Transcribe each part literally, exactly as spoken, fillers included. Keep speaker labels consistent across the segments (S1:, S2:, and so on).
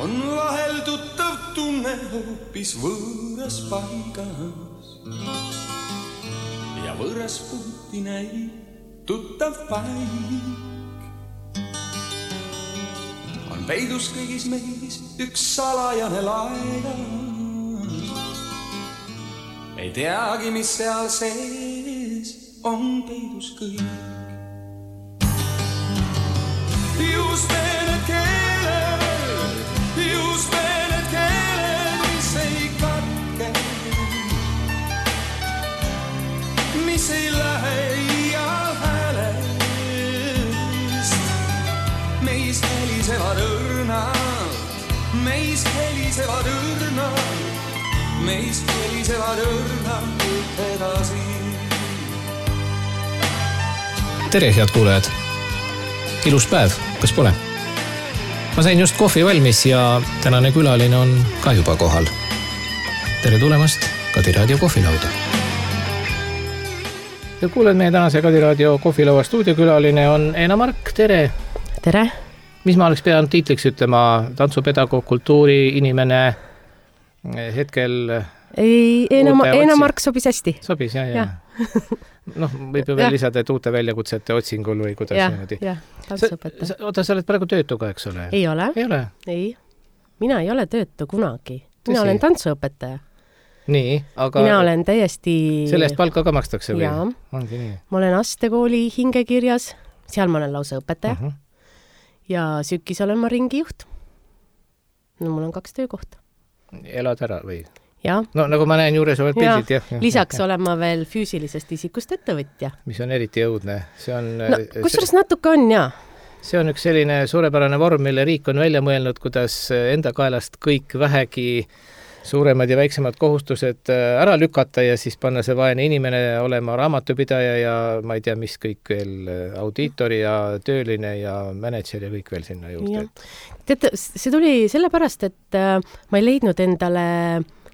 S1: on vahel tuttav tunne hoopis võõras paigas ja võõras puuti näib tuttav paik. On peidus kõigis meis üks salajane laega, ei teagi, mis seal sees on peidus kõik. Just need keeled, just need keeled, mis ei katke, mis ei lähe iial häälest. Meis helisevad õrnad, meis helisevad õrnad, meis helisevad õrnad edasi.
S2: Tere, head kuulajad! Ilus päev, kas pole? Ma sain just kohvi valmis ja tänane külaline on ka juba kohal. Tere tulemast Kadi Raadio kohvilauda. Ja kuuled, meie tänase Kadi Raadio kohvilaua stuudiokülaline on Eena Mark, tere!
S3: Tere!
S2: Mis ma oleks pidanud tiitliks ütlema? Tantsupedagoog, kultuuri inimene hetkel...
S3: Ei, Eena, Eena Mark sobis hästi.
S2: Sobis, jah, jah. Ja. Noh, võib ju veel lisada, et uute väljakutsete otsingul või kuidas
S3: ja,
S2: niimoodi.
S3: Jah, tantsõpetaja.
S2: Oota, sa oled praegu töötuga, eks ole?
S3: Ei ole.
S2: Ei ole?
S3: Ei. Mina ei ole töötu kunagi. Mina Tõsi. olen tantsõpetaja.
S2: Nii, aga...
S3: Mina olen täiesti...
S2: Selle eest palka ka makstakse või?
S3: Jaa.
S2: Ongi nii.
S3: Ma olen Astekooli hingekirjas. Seal ma olen lausa õpetaja.
S2: Uh-huh.
S3: Ja sükis olen ma ringijuht. No mul on kaks töökohta.
S2: Elad ära või?
S3: Ja.
S2: No nagu ma näen juures oled pildid, jah. Ja.
S3: Lisaks ja. olen ma veel füüsilisest isikust ettevõtja.
S2: Mis on eriti jõudne. See on...
S3: No, kusjuures natuke on, jah.
S2: See on üks selline suurepärane vorm, mille riik on välja mõelnud, kuidas enda kaelast kõik vähegi suuremad ja väiksemad kohustused ära lükata ja siis panna see vaene inimene olema raamatupidaja ja ma ei tea, mis kõik veel, audiitori ja tööline ja manager ja kõik veel sinna juurde.
S3: Tead, see tuli sellepärast, et ma ei leidnud endale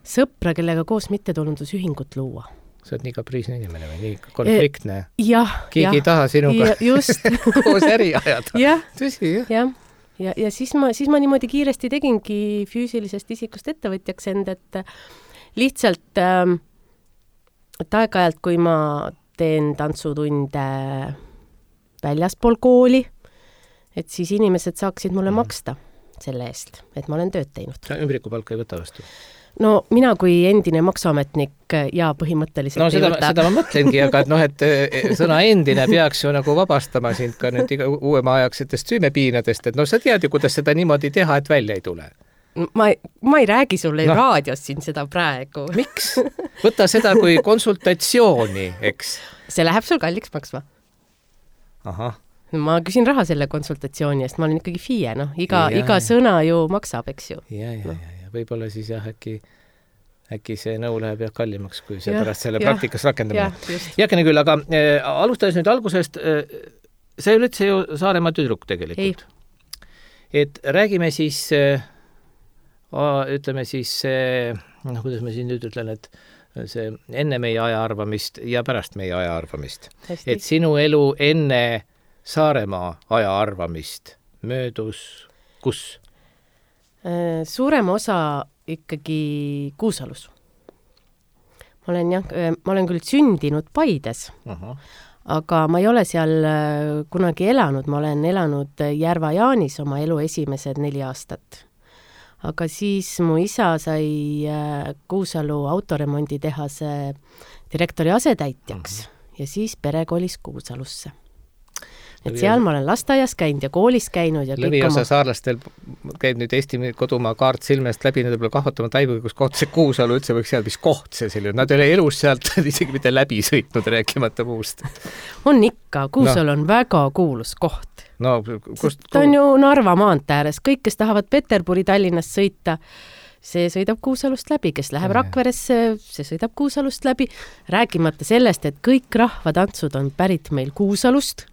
S3: sõpra, kellega koos mittetulundusühingut luua.
S2: Sa oled nii kapriisne inimene või nii konfliktne?
S3: Jah.
S2: Keegi ei taha sinuga
S3: just.
S2: koos äri ajada.
S3: Jah.
S2: Tõsi, jah.
S3: Ja, ja, ja siis, ma, siis ma niimoodi kiiresti tegingi füüsilisest isikust ettevõtjaks end, et lihtsalt ähm, et aeg-ajalt, kui ma teen tantsutunde väljaspool kooli, et siis inimesed saaksid mulle mm. maksta selle eest, et ma olen tööd teinud.
S2: Sa ümbrikupalka ei võta vastu?
S3: No mina kui endine maksuametnik ja põhimõtteliselt
S2: no, seda, seda ma mõtlengi, aga et noh, et sõna endine peaks ju nagu vabastama sind ka nüüd iga uuema ajaksetest süümepiinadest, et no sa tead ju, kuidas seda niimoodi teha, et välja ei tule.
S3: Ma, ma ei räägi sulle no. raadios siin seda praegu.
S2: Miks? Võta seda kui konsultatsiooni, eks?
S3: See läheb sul kalliks maksma.
S2: Aha.
S3: Ma küsin raha selle konsultatsiooni eest, ma olen ikkagi F I E, noh, iga, ja, iga sõna ju maksab, eks ju.
S2: Ja, ja, ja, ja võib-olla siis jah, äkki, äkki see nõu läheb jah kallimaks, kui see
S3: ja,
S2: pärast selle
S3: ja,
S2: praktikas rakendama.
S3: Jäkene
S2: küll, aga äh, alustades nüüd algusest, äh, see ei ole üldse ju Saaremaa tüdruk tegelikult. Ei. Et räägime siis, äh, ütleme siis, äh, noh, kuidas ma siin nüüd ütlen, et see enne meie aja arvamist ja pärast meie aja arvamist. Hästi. Et sinu elu enne Saaremaa aja arvamist möödus kus?
S3: Suurem osa ikkagi Kuusalus. Ma olen, jah, ma olen küll sündinud Paides, uh-huh. aga ma ei ole seal kunagi elanud. Ma olen elanud Järva-Jaanis oma elu esimesed neli aastat. Aga siis mu isa sai Kuusalu autoremonditehase direktori asetäitjaks uh-huh. ja siis pere kolis Kuusalusse. Et seal ma olen lasteaias käinud ja koolis käinud. Ja
S2: Lõviosa oma... saarlastel käib nüüd Eesti kodumaa kaart silmest läbi, nad võib-olla kahvatama taibuga, kus koht see Kuusalu üldse võiks seal, mis koht see selline. Nad ei ole elus sealt isegi mitte läbi sõitnud, rääkimata muust.
S3: On ikka, Kuusalu no. on väga kuulus koht.
S2: No, kust...
S3: Ta on ju Narva maantee ääres. Kõik, kes tahavad Peterburi Tallinnast sõita, see sõidab Kuusalust läbi. Kes läheb ja. Rakveresse, see sõidab Kuusalust läbi. Rääkimata sellest, et kõik rahvatantsud on pärit meil Kuusalust.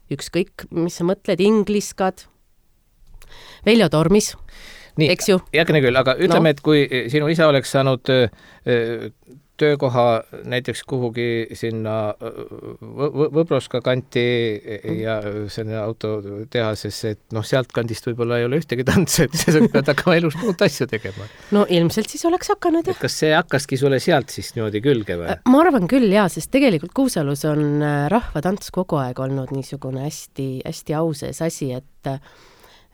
S3: Ükskõik, mis sa mõtled, ingliskad, Veljo Tormis,
S2: nii,
S3: eks ju?
S2: Jäkne küll, aga ütleme, no. et kui sinu isa oleks saanud äh, töökoha näiteks kuhugi sinna Võbroska kanti ja selle autotehases, et noh, sealt kandist võib-olla ei ole ühtegi tantsu, et sa pead hakkama elus muud asju tegema.
S3: No ilmselt siis oleks hakanud, jah.
S2: Kas see hakkaski sulle sealt siis niimoodi külge või?
S3: Ma arvan küll, jaa, sest tegelikult Kuusalus on rahvatants kogu aeg olnud niisugune hästi, hästi auses asi, et,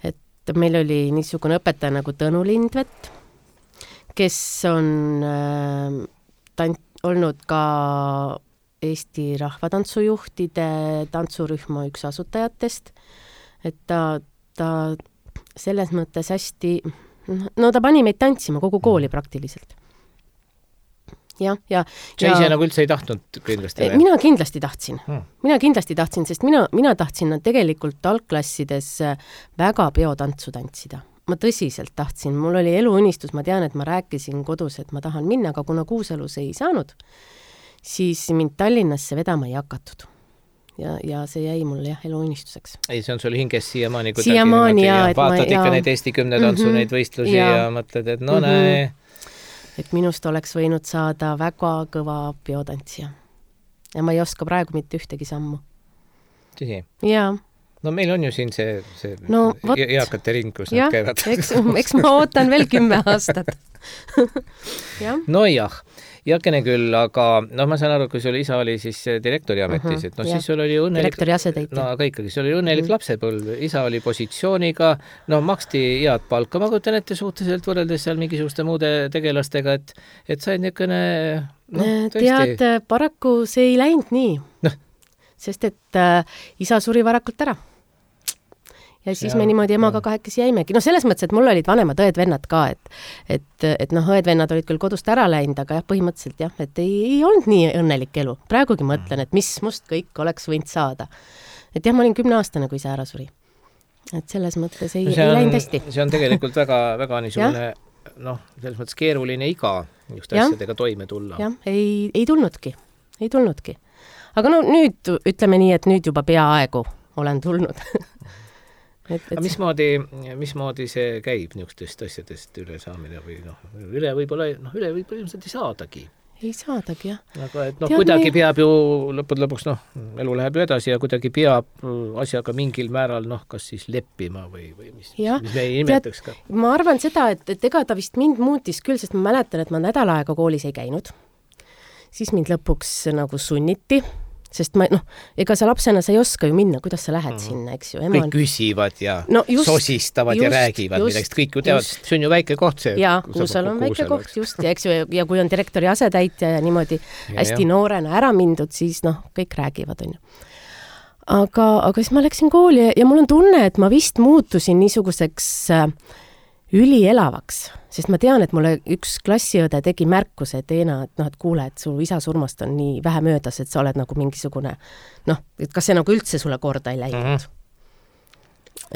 S3: et meil oli niisugune õpetaja nagu Tõnu Lindvet, kes on äh, tant, olnud ka Eesti rahvatantsujuhtide tantsurühma üks asutajatest, et ta, ta selles mõttes hästi, no ta pani meid tantsima kogu kooli praktiliselt. Ja, ja,
S2: sa ise ja, nagu üldse ei tahtnud kindlasti?
S3: Mina kindlasti tahtsin. Hmm. Mina kindlasti tahtsin, sest mina, mina tahtsin tegelikult algklassides väga peotantsu tantsida. Ma tõsiselt tahtsin, mul oli eluunistus, ma tean, et ma rääkisin kodus, et ma tahan minna, aga kuna Kuusalus ei saanud, siis mind Tallinnasse vedama ei hakatud. Ja, ja see jäi mulle jah eluunistuseks.
S2: Ei, see on sul hinges siiamaani, kui
S3: siiamaani ja,
S2: ja vaatad ma, ikka ja... neid Eesti kümne tantsu, mm-hmm, neid võistlusi ja, ja mõtled, et no mm-hmm. näe.
S3: Et minust oleks võinud saada väga kõva peotantsija. Ja ma ei oska praegu mitte ühtegi sammu.
S2: Tõsi?
S3: Jaa.
S2: No meil on ju siin see, see
S3: no,
S2: eakate ring, kus
S3: ja,
S2: nad käivad.
S3: Eks, eks ma ootan veel kümme aastat. ja.
S2: No jah, jakene küll, aga no ma saan aru, kui sul isa oli siis direktori ametis, uh-huh, et no ja. Siis sul oli õnnelik...
S3: Direktori asetäitja.
S2: No aga ikkagi, sul oli õnnelik uh-huh. lapsepõlv, isa oli positsiooniga, no maksti head palka, ma kujutan ette suhteliselt võrreldes seal mingisuguste muude tegelastega, et, et said niisugune... No,
S3: tead, paraku see ei läinud nii. No. Sest et äh, isa suri varakult ära. Ja siis ja, me niimoodi emaga ja. kahekesi jäimegi. No selles mõttes, et mul olid vanemad õed-vennad ka, et, et, et noh, õed-vennad olid küll kodust ära läinud, aga jah, põhimõtteliselt jah, et ei, ei olnud nii õnnelik elu. Praegugi mõtlen, et mis must kõik oleks võinud saada. Et jah, ma olin kümneaastane, kui see ära suri. Et selles mõttes ei,
S2: no
S3: ei läinud hästi.
S2: See on tegelikult väga, väga niisugune, noh, selles mõttes keeruline iga just asjadega toime tulla.
S3: Jah, ei, ei tulnudki. Ei tulnudki. Aga no nüüd, ütleme nii, et nüüd juba peaaegu olen tulnud. Et, et...
S2: Aga mismoodi, mismoodi see käib niisugustest asjadest üle saamine või noh, üle võib-olla, noh, üle võib-olla ilmselt ei saadagi.
S3: Ei saadagi, jah.
S2: Aga et noh, Tead, kuidagi me... peab ju lõpud lõpuks, noh, elu läheb ju edasi ja kuidagi peab asjaga mingil määral, noh, kas siis leppima või, või mis, ja, mis me ei nimetaks ka.
S3: Ma arvan seda, et, et ega ta vist mind muutis küll, sest ma mäletan, et ma nädal aega koolis ei käinud. Siis mind lõpuks nagu sunniti. Sest ma, noh, ega sa lapsena sa ei oska ju minna, kuidas sa lähed mm. sinna, eks ju.
S2: Ema kõik on... küsivad ja no just, sosistavad
S3: just,
S2: ja räägivad, millest kõik ju teavad, see on ju väike koht see.
S3: Jaa, Kuusal on väike koht, just, ja eks ju, ja kui on direktori asetäitja ja niimoodi ja, hästi ja. noorena ära mindud, siis noh, kõik räägivad, on ju. Aga, aga siis ma läksin kooli ja mul on tunne, et ma vist muutusin niisuguseks äh, ülielavaks, sest ma tean, et mulle üks klassiõde tegi märkuse, et Eena, et noh, et kuule, et su isa surmast on nii vähe möödas, et sa oled nagu mingisugune, noh, et kas see nagu üldse sulle korda ei läinud. Mm-hmm.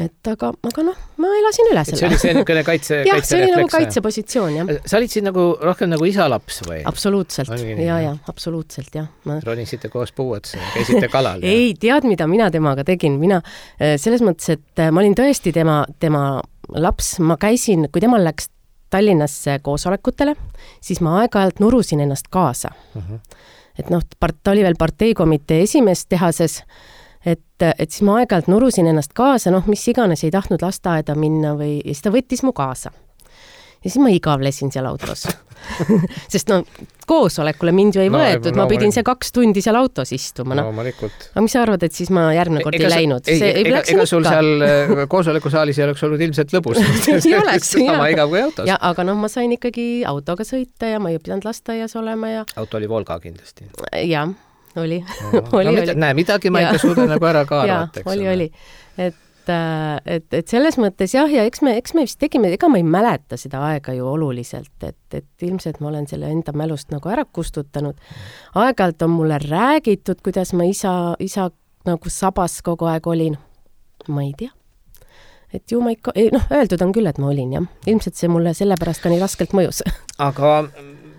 S3: Et aga, aga noh, ma elasin üle selle.
S2: See oli see niisugune kaitse,
S3: jah, see oli nagu kaitsepositsioon, jah.
S2: Sa olid siin nagu rohkem nagu isa-laps või?
S3: Absoluutselt, ja, ja, absoluutselt, jah. Ma...
S2: Ronisite koos puuets, käisite kalal?
S3: ei, tead, mida mina temaga tegin, mina selles mõttes, et ma olin tõesti tema, tema laps, ma käisin, kui temal läks Tallinnasse koosolekutele, siis ma aeg-ajalt nurusin ennast kaasa. Uh-huh. Et noh, ta oli veel parteikomitee esimees tehases, et, et siis ma aeg-ajalt nurusin ennast kaasa, noh, mis iganes ei tahtnud lasteaeda minna või ja siis ta võttis mu kaasa. Ja siis ma igavlesin seal autos. Sest no koosolekule mind ju ei no, võetud, no, ma pidin see kaks tundi seal autos istuma. No.
S2: no
S3: aga mis sa arvad, et siis ma järgmine kord
S2: ega,
S3: ei läinud?
S2: Ei, ei, ega, ega sul seal koosolekusaalis ei oleks olnud ilmselt lõbus.
S3: ei oleks,
S2: sama igav kui autos.
S3: Ja, aga noh, ma sain ikkagi autoga sõita ja ma ei pidanud lasteaias olema. Ja...
S2: auto oli Volga kindlasti.
S3: Jah, oli.
S2: No,
S3: oli,
S2: no,
S3: oli.
S2: Näe, midagi ma ikka suudan nagu ära ka arvata.
S3: Ja, oli, oli. Et Et, et selles mõttes jah, ja eks me, eks me vist tegime, ega ma ei mäleta seda aega ju oluliselt, et, et ilmselt ma olen selle enda mälust nagu ära kustutanud. Aeg-ajalt on mulle räägitud, kuidas ma isa, isa nagu sabas kogu aeg olin. Ma ei tea. Et ju ma ikka, noh, öeldud on küll, et ma olin, jah. Ilmselt see mulle sellepärast ka nii raskelt mõjus.
S2: Aga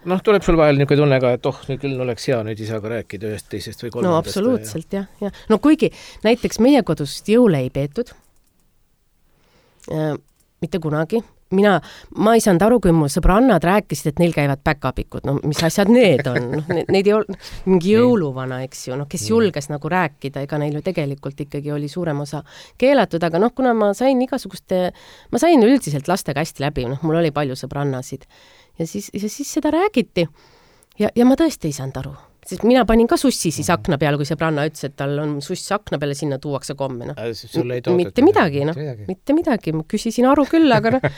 S2: noh, tuleb sul vahel niisugune tunne ka, et oh, nüüd küll oleks hea nüüd isaga rääkida ühest teisest või kolmandast.
S3: No absoluutselt, jah. Ja. No kuigi näiteks meie kodust jõule ei peetud, äh, mitte kunagi, mina, ma ei saanud aru, kui mu sõbrannad rääkisid, et neil käivad päkapikud, no mis asjad need on, no, neid ei olnud mingi jõuluvana, eks ju, noh, kes julges nagu rääkida, ega neil ju tegelikult ikkagi oli suurem osa keelatud, aga noh, kuna ma sain igasuguste, ma sain üldiselt lastega hästi läbi, noh, mul oli palju sõbrannasid ja siis, ja siis seda räägiti ja, ja ma tõesti ei saanud aru. Sest mina panin ka sussi siis akna peale, kui sõbranna ütles, et tal on suss akna peale, sinna tuuakse komme. No. Mitte midagi, noh. Mitte midagi. Ma küsisin aru küll, aga noh,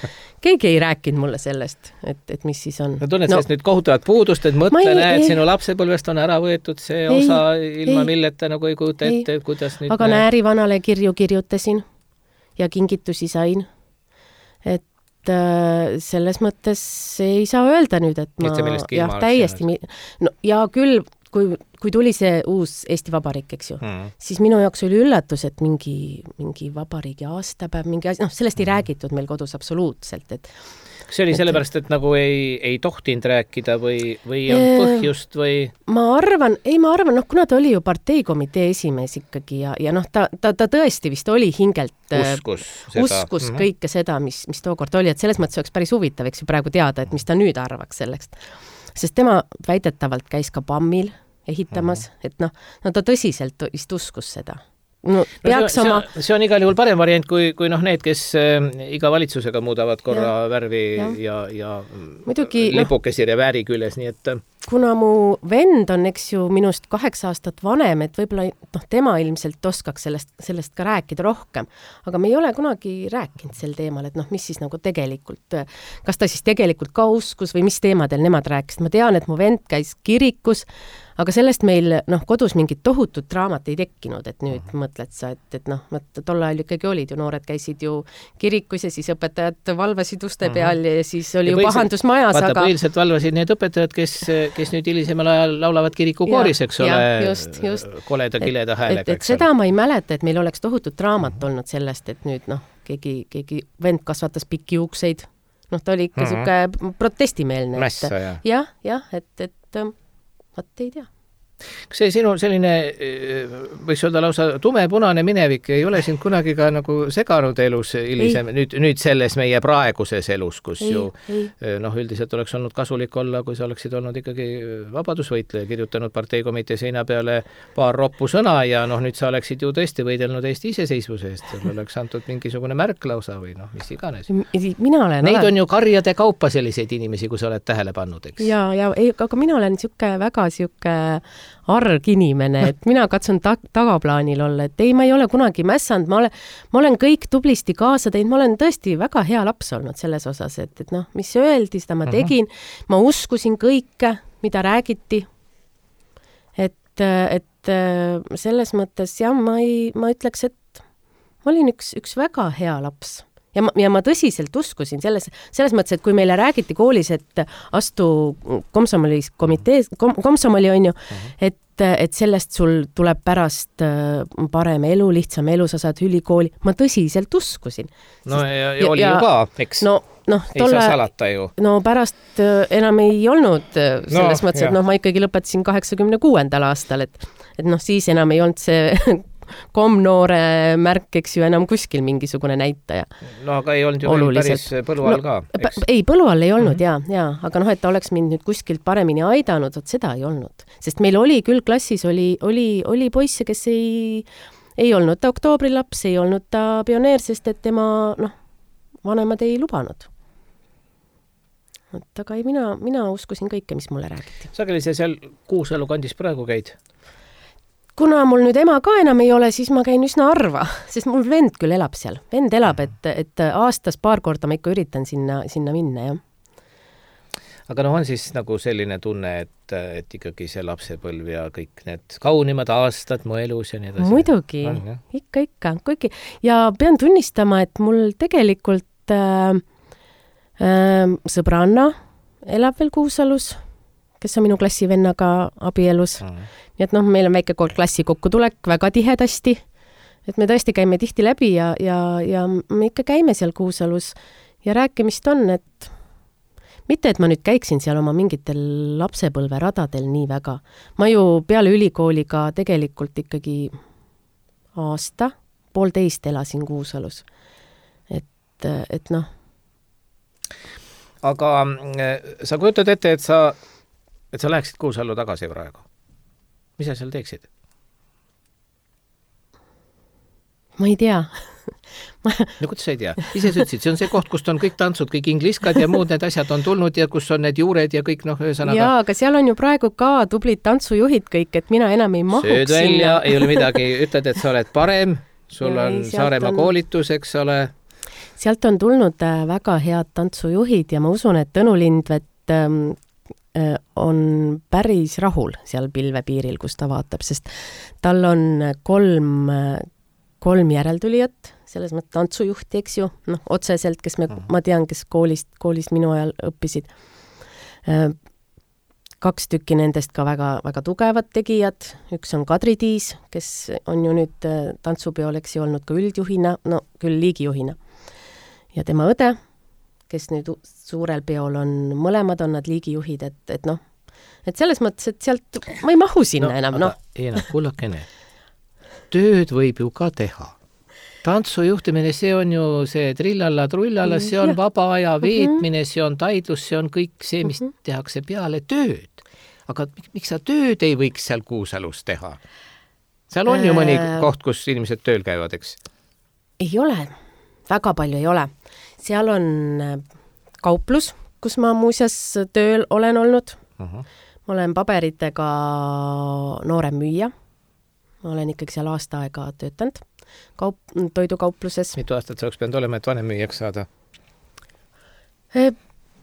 S3: keegi ei rääkinud mulle sellest, et, et mis siis on.
S2: No tunned no, sellest nüüd kohutavat puudust, et mõtle, ei, näed, ei, sinu lapsepõlvest on ära võetud see ei, osa ilma ei, milleta nagu ei kujuta ette, kuidas nüüd...
S3: Aga näärivanale kirju kirjutasin ja kingitusi sain, et selles mõttes ei saa öelda nüüd, et ma jah, täiesti mi... no, ja küll, kui, kui tuli see uus Eesti Vabariik, eks ju, mm. siis minu jaoks oli üllatus, et mingi, mingi vabariigi aastapäev, mingi asi, noh, sellest ei räägitud meil kodus absoluutselt, et
S2: kas see oli et, sellepärast, et nagu ei, ei tohtinud rääkida või, või ei olnud põhjust või?
S3: Ma arvan, ei ma arvan, noh, kuna ta oli ju parteikomitee esimees ikkagi ja, ja noh, ta, ta, ta tõesti vist oli hingelt
S2: uskus, seda.
S3: uskus mm-hmm. kõike seda, mis, mis tookord oli, et selles mõttes oleks päris huvitav, eks ju praegu teada, et mis ta nüüd arvaks sellest. Sest tema väidetavalt käis ka Pammil ehitamas, mm-hmm. et noh, no ta tõsiselt vist uskus seda. No,
S2: no, see, oma... see on igal juhul parem variant kui, kui noh, need, kes äh, iga valitsusega muudavad korra ja, värvi ja, ja, ja Muidugi, lipukesi no, revääri küljes, nii et
S3: kuna mu vend on, eks ju, minust kaheksa aastat vanem, et võib-olla noh, tema ilmselt oskaks sellest, sellest ka rääkida rohkem, aga me ei ole kunagi rääkinud sel teemal, et noh, mis siis nagu tegelikult, kas ta siis tegelikult ka uskus või mis teemadel nemad rääkisid. Ma tean, et mu vend käis kirikus, aga sellest meil noh, kodus mingit tohutut draamat ei tekkinud, et nüüd uh-huh. mõtled sa, et, et noh, tol ajal ikkagi olid ju, noored käisid ju kirikus ja siis õpetajad valvasid uste uh-huh. peal ja siis oli ja ju pahandus majas.
S2: Vaata, aga... põhiliselt valvasid need õpetajad, kes, kes nüüd hilisemal ajal laulavad kirikukooris, eks ole,
S3: just, just.
S2: koleda, kileda häälega.
S3: Et, et seda ma ei mäleta, et meil oleks tohutut draamat uh-huh. olnud sellest, et nüüd noh, keegi, keegi vend kasvatas pikki juukseid, noh, ta oli ikka uh-huh. siuke protestimeelne.
S2: Mässa, jah.
S3: jah, jah, et, et vot ei tea.
S2: Kas see sinu selline, võiks öelda lausa tumepunane minevik ei ole sind kunagi ka nagu seganud elus hilisem, nüüd, nüüd selles meie praeguses elus, kus ei, ju ei. noh, üldiselt oleks olnud kasulik olla, kui sa oleksid olnud ikkagi vabadusvõitleja, kirjutanud parteikomitee seina peale paar roppu sõna ja noh, nüüd sa oleksid ju tõesti võidelnud Eesti iseseisvuse eest, sul oleks antud mingisugune märk lausa või noh, mis iganes.
S3: Mina olen
S2: Neid olen... on ju karjade kaupa selliseid inimesi, kui sa oled tähele pannud, eks?
S3: Ja, ja ei, aga mina olen siuke väga siuke arg inimene, et mina katsun ta- tagaplaanil olla, et ei, ma ei ole kunagi mässanud, ma olen, ma olen kõik tublisti kaasa teinud, ma olen tõesti väga hea laps olnud selles osas, et, et noh, mis öeldi, seda ma tegin, ma uskusin kõike, mida räägiti, et, et selles mõttes jah, ma ei, ma ütleks, et ma olin üks, üks väga hea laps. Ja ma, ja ma tõsiselt uskusin selles, selles mõttes, et kui meile räägiti koolis, et astu komsomolis komitees, kom, komsomoli on ju, et, et sellest sul tuleb pärast parem elu, lihtsam elu, sa saad ülikooli, ma tõsiselt uskusin.
S2: No ja, ja oli ja, ju ka, eks?
S3: No, no,
S2: ei tolle, saa salata ju.
S3: No pärast enam ei olnud selles no, mõttes, et noh, ma ikkagi lõpetasin kaheksakümne kuuendal aastal, et, et noh, siis enam ei olnud see komnoore märk, eks ju, enam kuskil mingisugune näitaja.
S2: No aga ei olnud ju päris põlu all ka,
S3: eks? No, ei, põlu all ei olnud, mm-hmm. jaa, jaa, aga noh, et ta oleks mind nüüd kuskilt paremini aidanud, et seda ei olnud. Sest meil oli küll klassis, oli, oli, oli poisse, kes ei, ei olnud ta oktoobrilaps, ei olnud ta pioneer, sest et tema, noh, vanemad ei lubanud. Et aga ei, mina, mina uskusin kõike, mis mulle räägiti.
S2: Sageli see seal Kuusalu kandis praegu käid?
S3: Kuna mul nüüd ema ka enam ei ole, siis ma käin üsna harva, sest mul vend küll elab seal. Vend elab, et, et aastas paar korda ma ikka üritan sinna, sinna minna, jah.
S2: Aga noh, on siis nagu selline tunne, et, et ikkagi see lapsepõlv ja kõik need kaunimad aastad mu elus ja nii edasi.
S3: Muidugi, on, ikka, ikka. Kuigi. Ja pean tunnistama, et mul tegelikult äh, äh, sõbranna elab veel Kuusalus, kes on minu klassivennaga abielus. Mm. Nii et noh, meil on väike klassi kokkutulek väga tihedasti, et me tõesti käime tihti läbi ja, ja, ja me ikka käime seal Kuusalus ja rääkimist on, et mitte, et ma nüüd käiksin seal oma mingitel lapsepõlve radadel nii väga. Ma ju peale ülikooliga tegelikult ikkagi aasta, poolteist elasin Kuusalus. Et, et noh,
S2: aga sa kujutad ette, et sa, et sa läheksid Kuusallu tagasi praegu. Mis sa seal teeksid?
S3: Ma ei tea.
S2: Ma... No kuidas sa ei tea? Ise sa ütlesid, see on see koht, kust on kõik tantsud, kõik ingliskad ja muud need asjad on tulnud ja kus on need juured ja kõik noh, ühesõnaga...
S3: Jaa, aga seal on ju praegu ka tublid tantsujuhid kõik, et mina enam ei mahuks
S2: Sööd välja, sinna. Ei ole midagi, ütled, et sa oled parem, sul ja on ei, Saaremaa on... koolitus, eks ole.
S3: Sealt on tulnud väga head tantsujuhid ja ma usun, et Tõnu Lindvet ähm, on päris rahul seal pilvepiiril, kus ta vaatab, sest tal on kolm, kolm järeltulijat, selles mõttes tantsujuhti, eks ju, noh, otseselt, kes me, ma tean, kes koolist, koolist minu ajal õppisid. Kaks tükki nendest ka väga, väga tugevad tegijad, üks on Kadri Tiis, kes on ju nüüd tantsupeol, eks ju, olnud ka üldjuhina, no küll liigijuhina. Ja tema õde, kes nüüd suurel peol on, mõlemad on nad liigijuhid, et, et noh, et selles mõttes, et sealt ma ei mahu sinna no, enam, noh.
S2: Ei, noh, kullakene. Tööd võib ju ka teha. Tantsujuhtimine, see on ju see trillalla, trullalla, see on ja. Vaba aja veetmine, see on taidlus, see on kõik see, mis mm -hmm. tehakse peale tööd. Aga miks sa tööd ei võiks seal Kuusalus teha? Seal on ju mõni äh... koht, kus inimesed tööl käivad, eks?
S3: Ei ole. Väga palju ei ole. Seal on kauplus, kus ma muuseas tööl olen olnud. Uh-huh. Ma olen paberitega noorem müüja. Ma olen ikkagi seal aasta aega töötanud kaup- toidukaupluses.
S2: Mitu aastat sa oleks pidanud olema, et vanem müüjaks saada?
S3: E,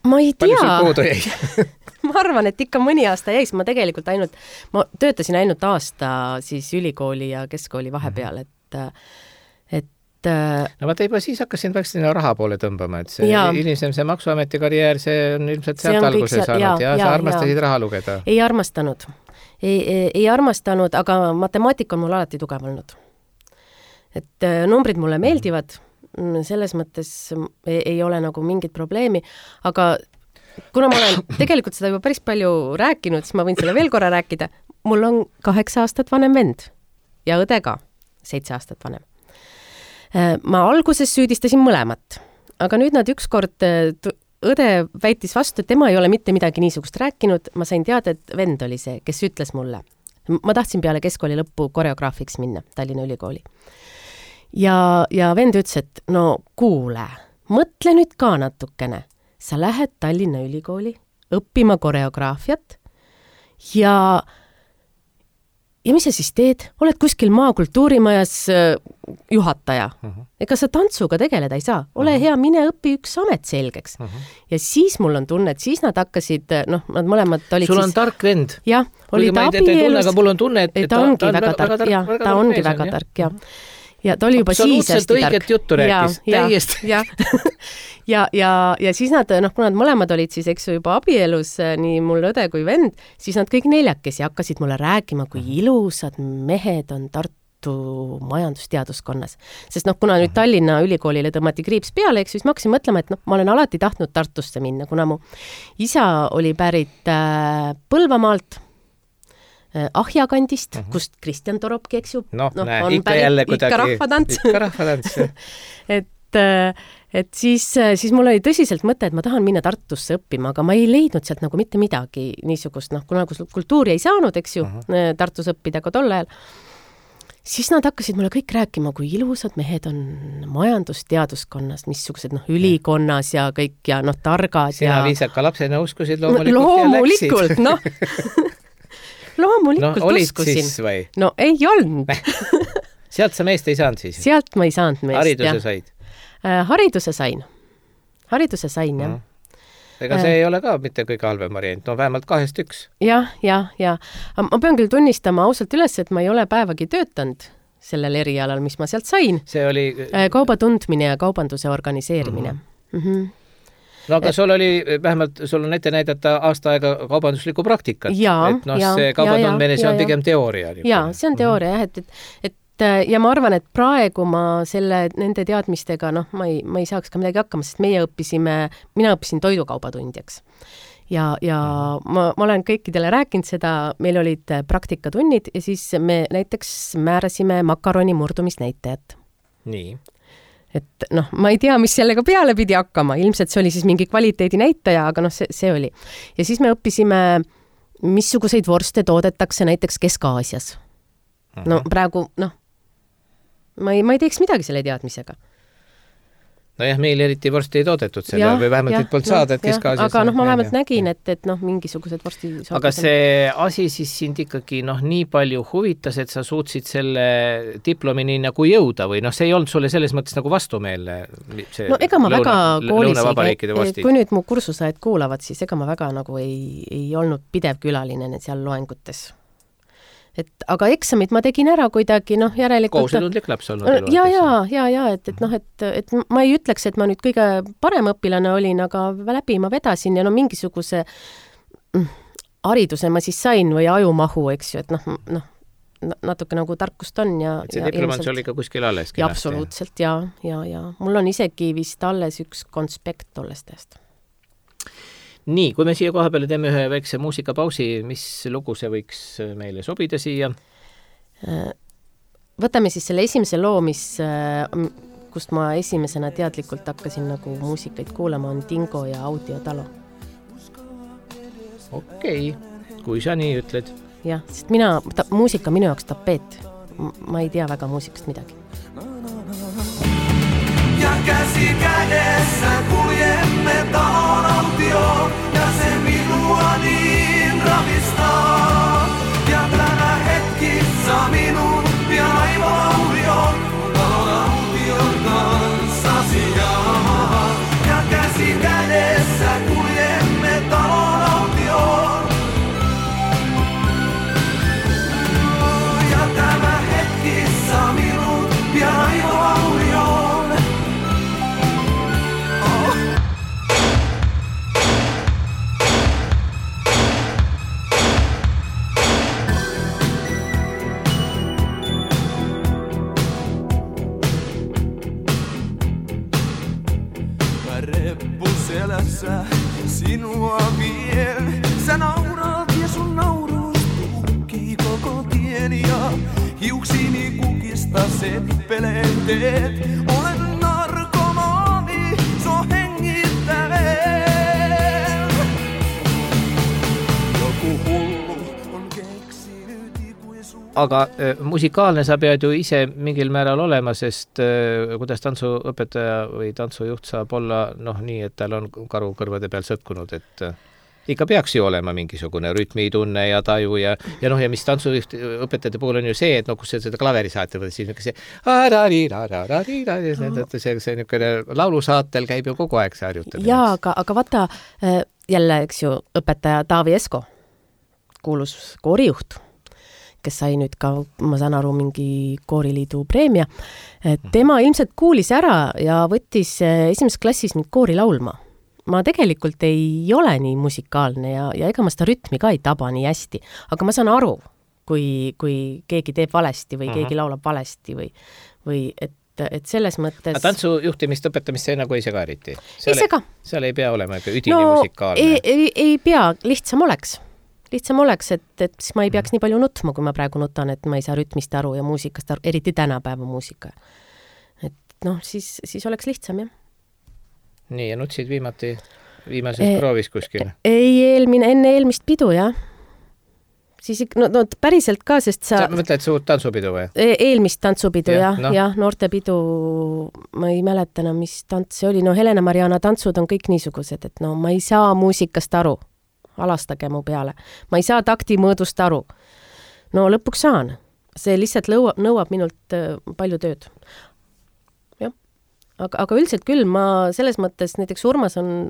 S3: ma ei tea.
S2: Palju sul puudu jäi?
S3: Ma arvan, et ikka mõni aasta jäis. Ma tegelikult ainult, ma töötasin ainult aasta siis ülikooli ja keskkooli vahepeal, et
S2: no vaata juba siis hakkasin vaikselt sinna raha poole tõmbama, et see hilisem see maksuameti karjäär, see on ilmselt sealt alguse saanud ja, ja, ja sa armastasid ja. Raha lugeda.
S3: Ei armastanud. Ei, ei, ei armastanud, aga matemaatika on mul alati tugev olnud. Et numbrid mulle meeldivad, selles mõttes ei, ei ole nagu mingit probleemi, aga kuna ma olen tegelikult seda juba päris palju rääkinud, siis ma võin selle veel korra rääkida. Mul on kaheksa aastat vanem vend ja õde ka seitse aastat vanem. Ma alguses süüdistasin mõlemat, aga nüüd nad ükskord, õde väitis vastu, et tema ei ole mitte midagi niisugust rääkinud. Ma sain teada, et vend oli see, kes ütles mulle. Ma tahtsin peale keskkooli lõppu koreograafiks minna Tallinna ülikooli. Ja, ja vend ütles, et no kuule, mõtle nüüd ka natukene. Sa lähed Tallinna ülikooli õppima koreograafiat ja Ja mis sa siis teed? Oled kuskil maakultuurimajas juhataja. Uh-huh. Ega sa tantsuga tegeleda ei saa. Ole uh-huh. hea, mine õpi üks amet selgeks. Uh-huh. Ja siis mul on tunne, et siis nad hakkasid, noh, nad mõlemad olid
S2: Sul
S3: siis...
S2: on tark vend.
S3: Jah, oli ta abielus.
S2: Aga mul on tunne, et
S3: ta, ta ongi ta, väga, väga tark. Ja, ta ongi väga, väga tark, jah. Ja ta oli juba siis hästi tark.
S2: Õiget juttu rääkis.
S3: Ja,
S2: täiesti.
S3: Ja, ja, ja, ja siis nad, noh, kui nad mõlemad olid siis, eks ju, juba abielus, nii mul õde kui vend, siis nad kõik neljakesi hakkasid mulle rääkima, kui ilusad mehed on Tartu majandusteaduskonnas. Sest noh, kuna nüüd Tallinna ülikoolile tõmmati kriips peale, eks siis ma hakkasin mõtlema, et noh, ma olen alati tahtnud Tartusse minna, kuna mu isa oli pärit äh, Põlvamaalt, Ahja kandist, uh-huh. kust Kristjan Toropki, eks ju,
S2: no, no, näe, on ikka pärit, jälle kuidagi,
S3: ikka rahvatants.
S2: Ikka rahvatants,
S3: et, et siis, siis mul oli tõsiselt mõte, et ma tahan minna Tartusse õppima, aga ma ei leidnud sealt nagu mitte midagi niisugust, noh, kuna kultuuri ei saanud, eks ju, uh-huh. Tartus õppida ka tol ajal, siis nad hakkasid mulle kõik rääkima, kui ilusad mehed on majandusteaduskonnas, missugused, noh, ülikonnas ja kõik ja noh, targad.
S2: Sina
S3: ja...
S2: viisaka lapsena uskusid loomulikult,
S3: loomulikult ja läksid. Noh. Loomulikult
S2: no, olid
S3: uskusin.
S2: Siis või?
S3: No ei olnud.
S2: Sealt sa meest ei saanud siis?
S3: Sealt ma ei saanud meest,
S2: hariduse
S3: jah.
S2: Said?
S3: Äh, hariduse sain. Hariduse sain, jah.
S2: Ega see äh, ei ole ka mitte kõige halvem variant, no vähemalt kahest üks.
S3: Jah, jah, jah. Ma pean küll tunnistama ausalt üles, et ma ei ole päevagi töötanud sellel erialal, mis ma sealt sain.
S2: See oli...
S3: Äh, kauba tundmine ja kaubanduse organiseerimine. Mm-hmm. Mm-hmm.
S2: No aga sul oli, vähemalt sul on ette näidata aasta aega kaubanduslikku praktikat.
S3: Ja,
S2: et noh,
S3: ja,
S2: see kaubatundmine, see on
S3: ja,
S2: pigem teooria.
S3: Jaa, see on teooria, jah, et, et, et ja ma arvan, et praegu ma selle, nende teadmistega, noh, ma ei, ma ei saaks ka midagi hakkama, sest meie õppisime, mina õppisin toidukaubatundjaks. Ja, ja ma, ma olen kõikidele rääkinud seda, meil olid praktikatunnid ja siis me näiteks määrasime makaroni murdumisnäitajat.
S2: Nii.
S3: et noh, ma ei tea, mis sellega peale pidi hakkama, ilmselt see oli siis mingi kvaliteedi näitaja, aga noh, see, see oli. Ja siis me õppisime, missuguseid vorste toodetakse näiteks Kesk-Aasias. No praegu, noh, ma ei, ma ei teeks midagi selle teadmisega.
S2: Nojah, meil eriti vorsti ei toodetud selle, või vähemalt et polnud saada, et Kesk-Aasias...
S3: Aga noh, ma vähemalt nägin, et, et noh, mingisugused vorsti...
S2: Aga see asi siis sind ikkagi noh, nii palju huvitas, et sa suutsid selle diplomini nagu jõuda või noh, see ei olnud sulle selles mõttes nagu vastumeelne?
S3: No ega ma lõuna, väga koolis, kui nüüd mu kursusajad kuulavad, siis ega ma väga nagu ei, ei olnud pidev külaline seal loengutes. Et, aga eksamid ma tegin ära kuidagi, noh, järelikult...
S2: Kohusetundlik laps olnud.
S3: Ja, ja, ja, ja, et, et noh, et, et ma ei ütleks, et ma nüüd kõige parem õpilane olin, aga läbi ma vedasin ja no mingisuguse hariduse ma siis sain või ajumahu, eks ju, et noh, noh, natuke nagu tarkust on ja...
S2: Et see diplomant oli ka kuskil alles?
S3: Ja, absoluutselt, ja, ja, ja. Mul on isegi vist alles üks konspekt tollest tähest.
S2: Nii, kui me siia koha peale teeme ühe väikse muusikapausi, mis lugu see võiks meile sobida siia?
S3: Võtame siis selle esimese loo, mis, kust ma esimesena teadlikult hakkasin nagu muusikaid kuulama, on Dingo ja Audiotalo.
S2: Okei, okay. Kui sa nii ütled.
S3: Jah, sest mina, ta, muusika minu jaoks tapeet. Ma ei tea väga muusikast midagi.
S4: Ja käsi kädessä kuljemme talon autioon ja se minua niin ravistaa. Ja tänä hetkissä minun ja aivoaurioon talon aution kanssa sijaan. Ja käsi kädessä kuljemme talon autioon. Ja tämä hetkissä minun ja aivoaurioon. Selässä sinua vien. Sä nauraat ja sun nauruus tukkii koko tien ja hiuksini kukista seppeleen teet. Olen narkomaani, so hengittäveen. Joku hullu on keksinyt ikuisuus.
S2: Aga äh, musikaalne sa pead ju ise mingil määral olema, sest äh, kuidas tantsuõpetaja või tantsujuht saab olla noh nii, et tal on karu kõrvade peal sõtkunud, et äh, ikka peaks ju olema mingisugune rütmitunne ja taju ja, ja noh, ja mis tantsujuht õpetajate puhul on ju see, et noh, kus seda klaveri saate võtta, siis see see, see niisugune laulusaatel käib ju kogu aeg see harjutamine.
S3: Jaa, aga, aga vaata jälle, eks ju, õpetaja Taavi Esko, kuulus koorijuht, kes sai nüüd ka, ma saan aru, mingi kooriliidu preemia. Tema ilmselt kuulis ära ja võttis esimeses klassis mind koori laulma. Ma tegelikult ei ole nii musikaalne ja, ja ega ma seda rütmi ka ei taba nii hästi, aga ma saan aru, kui, kui keegi teeb valesti või keegi laulab valesti või, või et, et selles mõttes...
S2: Aga tantsujuhtimist õpetamist see nagu ei sega eriti?
S3: Ei sega.
S2: Seal ei pea olema üdini
S3: no,
S2: musikaalne?
S3: Ei, ei, ei pea, lihtsam oleks. Lihtsam oleks, et, et siis ma ei peaks nii palju nutma, kui ma praegu nutan, et ma ei saa rütmist aru ja muusikast aru, eriti tänapäeva muusika. Et noh, siis, siis oleks lihtsam, jah.
S2: Nii, ja nutsid viimati, viimases e proovis kuskil?
S3: Ei, eelmine, enne eelmist pidu, jah. Siis no, no päriselt ka, sest sa...
S2: Sa mõtled suurt tantsupidu või?
S3: E eelmist tantsupidu, jah, jah,
S2: no.
S3: ja, noortepidu, ma ei mäletana, mis tants see oli. No Helena Mariana tantsud on kõik niisugused, et no ma ei saa muusikast aru. Alastage mu peale. Ma ei saa takti mõõdust aru. No lõpuks saan. See lihtsalt lõuab, nõuab minult palju tööd. Jah. Aga, aga üldiselt küll, ma selles mõttes, näiteks Urmas on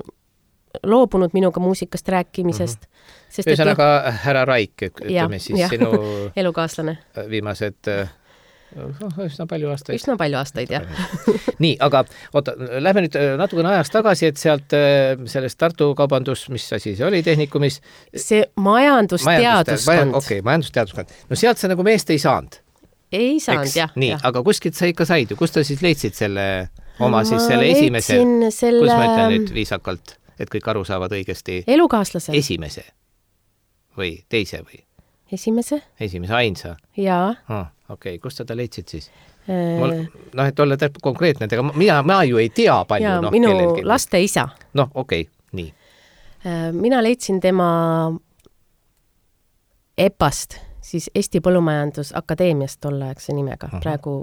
S3: loobunud minuga muusikast rääkimisest.
S2: Mm-hmm. Ühesõnaga härra Raik, ütleme ja, siis ja. Sinu
S3: elukaaslane.
S2: Viimased üsna palju aastaid.
S3: Üsna palju aastaid, jah.
S2: Nii, aga oota, lähme nüüd natukene ajast tagasi, et sealt sellest Tartu kaubandus, mis asi see oli tehnikumis?
S3: See majandusteaduskond.
S2: Okei, okay, majandusteaduskond. No sealt sa nagu meest ei saanud?
S3: Ei saanud, jah.
S2: Nii,
S3: ja.
S2: Aga kuskilt sa ikka said ju? Kus ta siis leidsid selle oma
S3: ma
S2: siis selle esimese?
S3: Selle...
S2: Kus ma ütlen nüüd viisakalt, et kõik aru saavad õigesti?
S3: Elukaaslase.
S2: Esimese või teise või?
S3: Esimese?
S2: Esimese ainsa?
S3: Jaa.
S2: Oh, okei, okay. Kust sa ta leidsid siis? Mul, noh, et olla täpselt konkreetne, aga mina, ma ju ei tea palju.
S3: Ja
S2: noh,
S3: minu
S2: kellelgi.
S3: laste isa.
S2: Noh, okei, okay, nii.
S3: Mina leidsin tema E P A-st, siis Eesti Põllumajandusakadeemiast tolleaegse nimega, uh-huh. praegu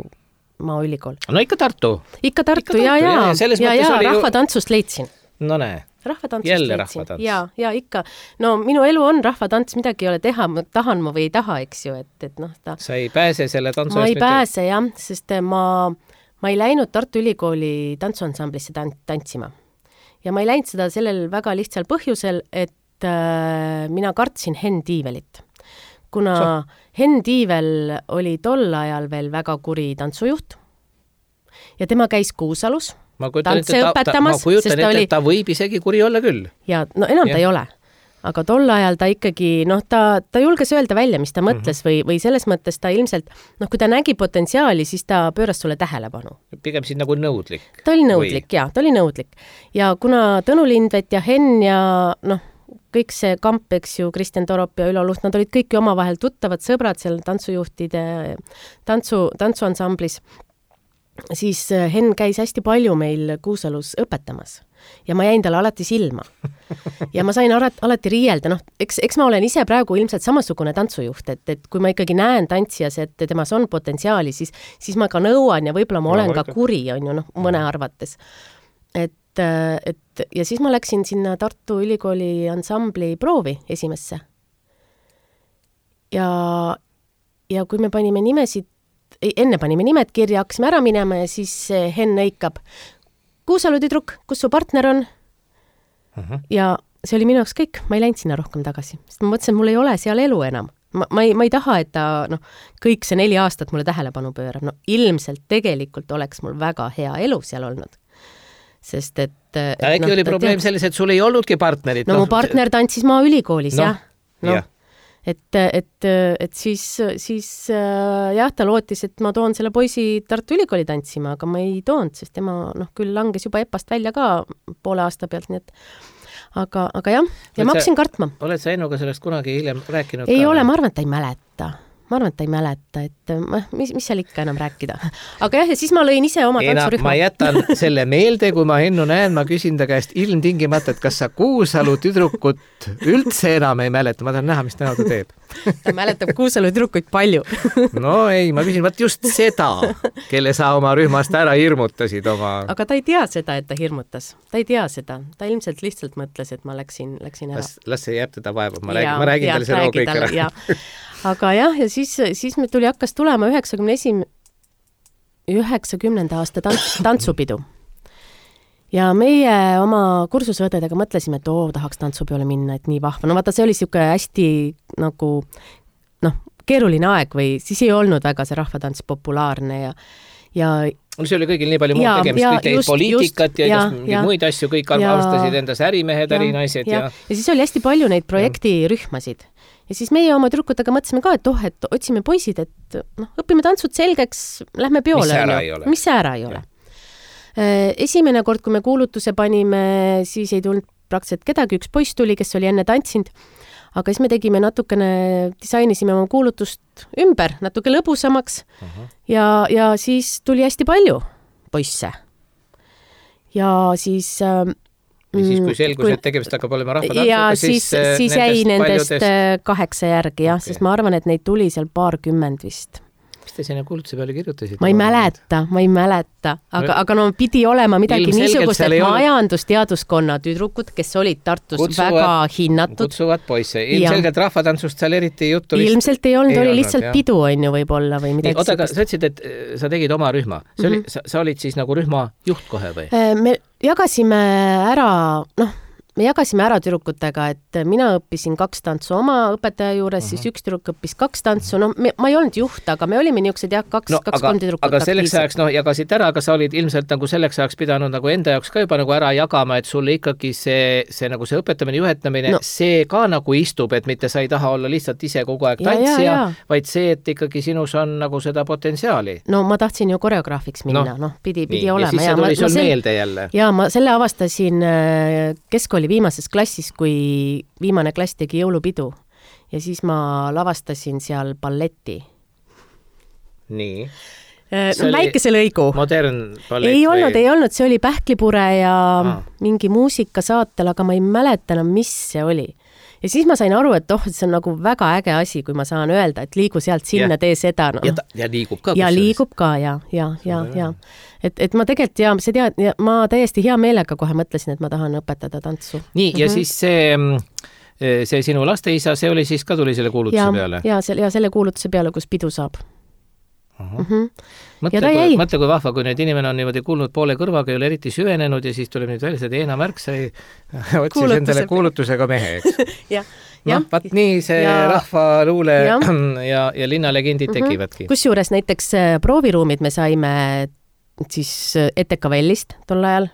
S3: Maaülikool.
S2: No ikka Tartu.
S3: Ikka Tartu, ja, ja, ja, ja, ja rahvatantsust ju... leidsin.
S2: No näe.
S3: Rahvatantsust
S2: Jälle
S3: leidsin.
S2: Rahvatants.
S3: Ja, ja ikka. No minu elu on rahvatants, midagi ei ole teha, ma tahan ma või ei taha, eks ju, et, et noh, ta...
S2: Sa ei pääse selle tantsu
S3: ma
S2: eest
S3: ei mitte... pääse, jah, sest ma, ma ei läinud Tartu Ülikooli tantsuansamblisse tant- tantsima. Ja ma ei läinud seda sellel väga lihtsal põhjusel, et äh, mina kartsin Henn Tiivelit. Kuna so. Henn Tiivel oli tol ajal veel väga kuri tantsujuht ja tema käis Kuusalus
S2: ma kujutan, tantse õpetamas. Ma kujutan, et, oli... et ta võib isegi kuri olla küll. Ja,
S3: no enam ja. Ta ei ole. Aga tol ajal ta ikkagi, noh, ta, ta julges öelda välja, mis ta mõtles mm-hmm. või, või selles mõttes ta ilmselt, noh, kui ta nägi potentsiaali, siis ta pööras sulle tähelepanu.
S2: Pigem siis nagu nõudlik.
S3: Ta oli nõudlik, või... ja, ta oli nõudlik. Ja kuna Tõnu Lindvet ja Henn ja, noh, kõik see kamp, eks ju, Kristjan Torop ja Ülo Luht, nad olid kõik omavahel tuttavad sõbrad seal tantsujuhtide tantsu, tantsuansamblis. Siis Henn käis hästi palju meil Kuusalus õpetamas ja ma jäin talle alati silma. Ja ma sain alati, alati riielda, noh, eks, eks ma olen ise praegu ilmselt samasugune tantsujuht, et, et kui ma ikkagi näen tantsijas, et temas on potentsiaali, siis, siis ma ka nõuan ja võib-olla ma olen no, ka kuri, on ju, noh, mõne arvates. Et et ja siis ma läksin sinna Tartu Ülikooli ansambli proovi esimesse. Ja, ja kui me panime nimesid, enne panime nimed kirja, hakkasime ära minema ja siis Henn õikab, Kuusalu tüdruk, kus su partner on? Uh-huh. Ja see oli minu jaoks kõik, ma ei läinud sinna rohkem tagasi, sest ma mõtlesin, mul ei ole seal elu enam. Ma, ma, ei, ma ei taha, et ta no, kõik see neli aastat mulle tähelepanu pöörab. No, ilmselt tegelikult oleks mul väga hea elu seal olnud. Sest et... et
S2: äkki no, oli probleem tead... selles, et sul ei olnudki partnerit?
S3: No, no mu partner tantsis Maaülikoolis, no, jah. No, jah. Et, et, et siis, siis jah, ta lootis, et ma toon selle poisi Tartu Ülikooli tantsima, aga ma ei toonud, sest tema noh, küll langes juba E P A-st välja ka poole aasta pealt, nii et aga, aga jah, ja oled ma hakkasin kartma.
S2: Oled sa Ennuga sellest kunagi hiljem rääkinud?
S3: Ei
S2: ka,
S3: ole, ma arvan, et ta ei mäleta. Ma arvan, et ta ei mäleta, et mis, mis seal ikka enam rääkida. Aga jah, ja siis ma lõin ise oma
S2: Eena,
S3: tantsurühma.
S2: Ma jätan selle meelde, kui ma Ennu näen, ma küsin ta käest ilmtingimata, et kas sa Kuusalu tüdrukut üldse enam ei mäleta. Ma tahan näha, mis täna ta teeb.
S3: Ta mäletab Kuusalu tüdrukuid palju.
S2: No ei, ma küsin vaat just seda, kelle sa oma rühmast ära hirmutasid oma...
S3: Aga ta ei tea seda, et ta hirmutas. Ta ei tea seda. Ta ilmselt lihtsalt mõtles, et ma läksin, läksin ära.
S2: Las, las see jääb teda vaeva. Ma, räägin, ma räägin talle selle kõik ära.
S3: Ja. Aga jah, ja siis, siis me tuli hakkas tulema üheksakümne esimene üheksakümnenda aasta tants, tantsupidu. Ja meie oma kursusõdedega mõtlesime, et oo, tahaks tantsupeole minna, et nii vahva. No vaata, see oli siuke hästi nagu, noh, keeruline aeg või siis ei olnud väga see rahvatants populaarne ja, ja
S2: see oli kõigil nii palju muud tegemist, kõik teid poliitikat ja, ja, ja muid asju, kõik arvastasid endas ärimehed, ärinaised ja, ja...
S3: ja siis oli hästi palju neid projektirühmasid. Ja siis meie oma tüdrukutega mõtlesime ka, et oh, et otsime poisid, et noh, õpime tantsud selgeks, lähme peole.
S2: Mis ära ei ole.
S3: Mis ära ei ole. Esimene kord, kui me kuulutuse panime, siis ei tulnud praktiliselt kedagi, üks poiss tuli, kes oli enne tantsinud, aga siis me tegime natukene, disainisime oma kuulutust ümber, natuke lõbusamaks uh-huh. ja, ja siis tuli hästi palju poisse. Ja siis...
S2: Ja siis, kui selgus, kui... et tegemist hakkab olema rahvatantsuga,
S3: ja siis, siis, siis jäi nendest paljudest... kaheksa järgi, jah, okay. Sest ma arvan, et neid tuli seal paarkümmend vist.
S2: Mis te sinna kuulutuse peale kirjutasid?
S3: Ma ei mäleta, ma ei mäleta, aga, no, aga no pidi olema midagi niisugust, et majandusteaduskonna tüdrukud, kes olid Tartus kutsuvad, väga hinnatud.
S2: Kutsuvad poisse. Ilmselgelt rahvatantsust seal eriti juttu vist...
S3: Ilmselt ei olnud, ei oli olnud, lihtsalt jah. Pidu on ju võib-olla või midagi.
S2: Oota, aga sa ütlesid, et sa tegid oma rühma. See oli, mm-hmm. sa, sa olid siis nagu rühma juht kohe või?
S3: Me jagasime ära, noh, me jagasime ära tüdrukutega, et mina õppisin kaks tantsu oma õpetaja juures, uh-huh. siis üks tüdruk õppis kaks tantsu, no me, ma ei olnud juht, aga me olime niisugused jah, kaks,
S2: no,
S3: kaks kolm tüdrukut.
S2: Aga selleks ajaks, noh, jagasid ära, aga sa olid ilmselt nagu selleks ajaks pidanud nagu enda jaoks ka juba nagu ära jagama, et sulle ikkagi see, see nagu see õpetamine, juhetamine, no. See ka nagu istub, et mitte sa ei taha olla lihtsalt ise kogu aeg tantsija, vaid see, et ikkagi sinus on nagu seda potentsiaali.
S3: No ma tahtsin ju koreograafiks minna, noh, no, pidi, pidi nii, olema.
S2: Ja siis see tuli sul meelde jälle.
S3: Ja ma selle avastasin keskkooli viimases klassis, kui viimane klass tegi jõulupidu ja siis ma lavastasin seal balletti.
S2: Nii.
S3: no, väikese lõigu.
S2: Modern ballett
S3: ei olnud,
S2: või?
S3: ei olnud, see oli Pähklipure ja
S2: ah.
S3: mingi muusikasaatel, aga ma ei mäleta enam, mis see oli. Ja siis ma sain aru, et oh, see on nagu väga äge asi, kui ma saan öelda, et liigu sealt sinna, tee seda. No.
S2: Ja, ta, ja liigub ka.
S3: Ja liigub ka, ja, ja, ja, ja. Et, et ma tegelikult, ja see tead, ja ma täiesti hea meelega kohe mõtlesin, et ma tahan õpetada tantsu.
S2: Nii, ja mm-hmm. siis see, see sinu lasteisa, see oli siis ka tuli selle kuulutuse
S3: ja,
S2: peale?
S3: Ja, ja selle kuulutuse peale, kus pidu saab.
S2: Mm-hmm. Mõtle, kui, mõtle, kui vahva, kui nüüd inimene on niimoodi kuulnud poole kõrvaga, ei ole eriti süvenenud ja siis tuleb nüüd välja, et Eena Märk sai otsis Kuulutuse endale kuulutusega mehe, eks?
S3: ja,
S2: no, vaat nii see ja, rahvaluule ja, ja, ja linnalegendid mm-hmm. tekivadki.
S3: Kusjuures näiteks prooviruumid me saime siis E T K Vellist tol ajal,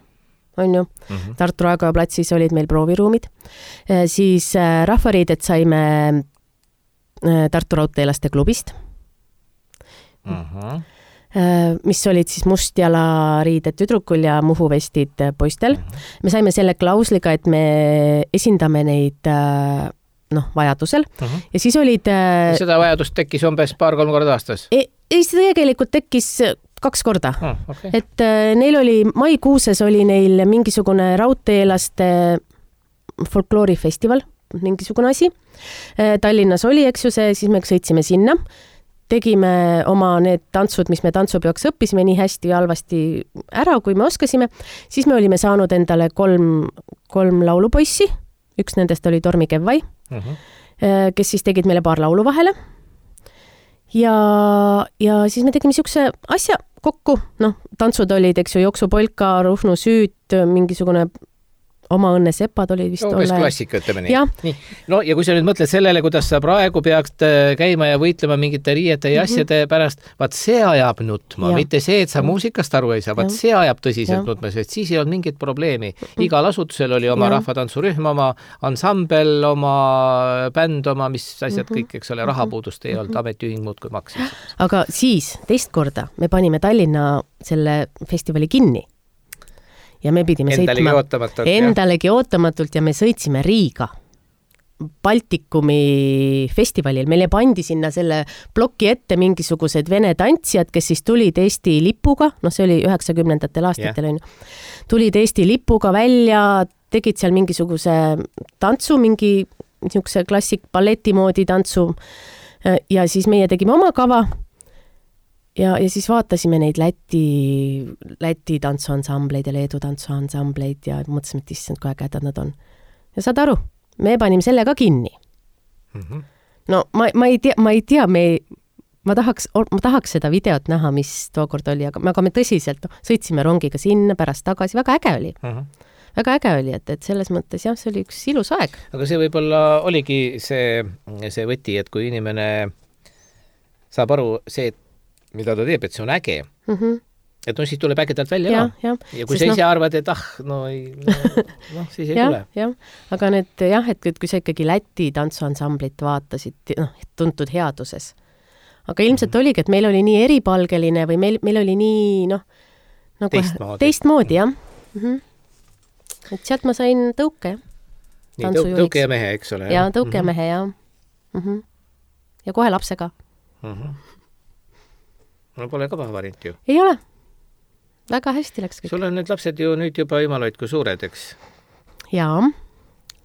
S3: on ju. Mm-hmm. Tartu Raekoja platsis olid meil prooviruumid. Siis rahvariidet saime Tartu Raudteelaste klubist. Uh-huh. mis olid siis mustjalariided tüdrukul ja muhuvestid poistel. Uh-huh. Me saime selle klausliga, et me esindame neid noh, vajadusel. Uh-huh. Ja siis olid...
S2: Seda vajadust tekkis umbes paar-kolm korda aastas?
S3: Ei, ei, see tegelikult tekkis kaks korda.
S2: Oh, okay.
S3: Et neil oli, maikuuses oli neil mingisugune raudteelaste folkloorifestival, mingisugune asi. Tallinnas oli, eks ju see, siis me sõitsime sinna. Tegime oma need tantsud, mis me tantsupeoks õppisime nii hästi ja halvasti ära, kui me oskasime. Siis me olime saanud endale kolm, kolm laulupoissi. Üks nendest oli Tormi Kevvai, uh-huh. kes siis tegid meile paar laulu vahele. Ja, ja siis me tegime niisuguse asja kokku. Noh, tantsud olid, eks ju, jooksupolka, Ruhnu süüt, mingisugune oma õnne sepad oli vist
S2: umbes
S3: ole.
S2: Klassika, ütleme nii. nii. No ja kui sa nüüd mõtled sellele, kuidas sa praegu peaks käima ja võitlema mingite riiete ja asjade mm-hmm. pärast, vaat see ajab nutma, ja. Mitte see, et sa muusikast aru ei saa, vaat see ajab tõsiselt ja. Nutma, sest siis ei olnud mingit probleemi. Igal asutusel oli oma ja. Rahvatantsurühm, oma ansambel, oma bänd, oma mis asjad mm-hmm. kõik, eks ole, rahapuudust ei olnud, ametiühing muud kui maksis.
S3: Aga siis teist korda me panime Tallinna selle festivali kinni. Ja me pidime
S2: endalegi
S3: sõitma
S2: ootamatult,
S3: endalegi ja. ootamatult ja me sõitsime Riiga Baltikumi festivalil. Meile pandi sinna selle ploki ette mingisugused vene tantsijad, kes siis tulid Eesti lipuga, noh see oli üheksakümnendatel aastatel, yeah. tulid Eesti lipuga välja, tegid seal mingisuguse tantsu, mingi niisuguse klassik balleti moodi tantsu ja siis meie tegime oma kava. Ja, ja siis vaatasime neid Läti, Läti tantsuansambleid ja Leedu tantsuansambleid ja mõtlesime, et issand, kui ägedad nad on. Ja saad aru, me panime selle ka kinni. Mm-hmm. No ma, ma ei tea, ma ei tea, me, ma, tahaks, ma tahaks seda videot näha, mis tookord oli, aga, aga me tõsiselt no, sõitsime rongiga sinna, pärast tagasi, väga äge oli. Mm-hmm. Väga äge oli, et, et selles mõttes jah, see oli üks ilus aeg.
S2: Aga see võib-olla oligi see, see võti, et kui inimene saab aru see, et mida ta teeb, et see on äge. Mm-hmm. Et no siis tuleb ägedalt välja ja,
S3: ja.
S2: ja kui Sest sa ise no... arvad, et ah, no, ei, no, no siis ei
S3: ja,
S2: tule.
S3: Ja. Aga need jah, et kui sa ikkagi Läti tantsuansamblit vaatasid, noh, tuntud headuses. Aga ilmselt mm-hmm. oligi, et meil oli nii eripalgeline või meil, meil oli nii, noh, nagu
S2: teistmoodi,
S3: teistmoodi jah. Mm-hmm. Et sealt ma sain tõuke, jah.
S2: Nii, tõu, tõuke ja mehe, eks ole.
S3: Ja, tõuke mm-hmm. ja mehe, jah. Mm-hmm. Ja kohe lapsega.
S2: Mm-hmm. No pole ka paha variant ju.
S3: Ei ole. Väga hästi läks kõik.
S2: Sul on need lapsed ju nüüd juba jumaloid kui suured, eks?
S3: Jaa,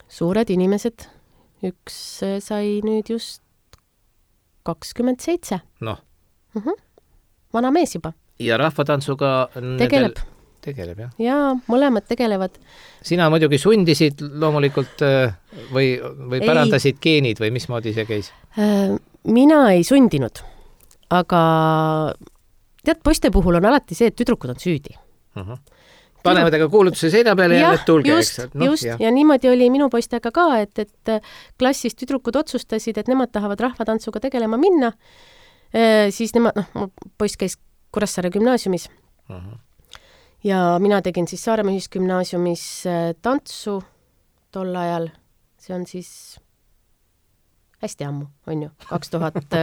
S3: suured inimesed. Üks sai nüüd just kakskümmend seitse.
S2: Noh.
S3: Uh-huh. Vana mees juba.
S2: Ja rahvatantsuga
S3: tegeleb.
S2: Nendel... Tegeleb, jah?
S3: Jaa, mõlemad tegelevad.
S2: Sina muidugi sundisid loomulikult või, või pärandasid ei. Geenid või mismoodi see käis?
S3: Mina ei sundinud. Aga tead, poiste puhul on alati see, et tüdrukud on süüdi. Uh-huh.
S2: Panevad aga kuulutuse seina peale ja need tulge,
S3: just,
S2: eks? No,
S3: just, ja. ja niimoodi oli minu poistega ka, et, et klassis tüdrukud otsustasid, et nemad tahavad rahvatantsuga tegelema minna. E, siis nemad, noh, poiss käis Kuressaare gümnaasiumis. Uh-huh. Ja mina tegin siis Saaremaa ühisgümnaasiumis tantsu tol ajal. See on siis... hästi ammu, on ju, kaks tuhat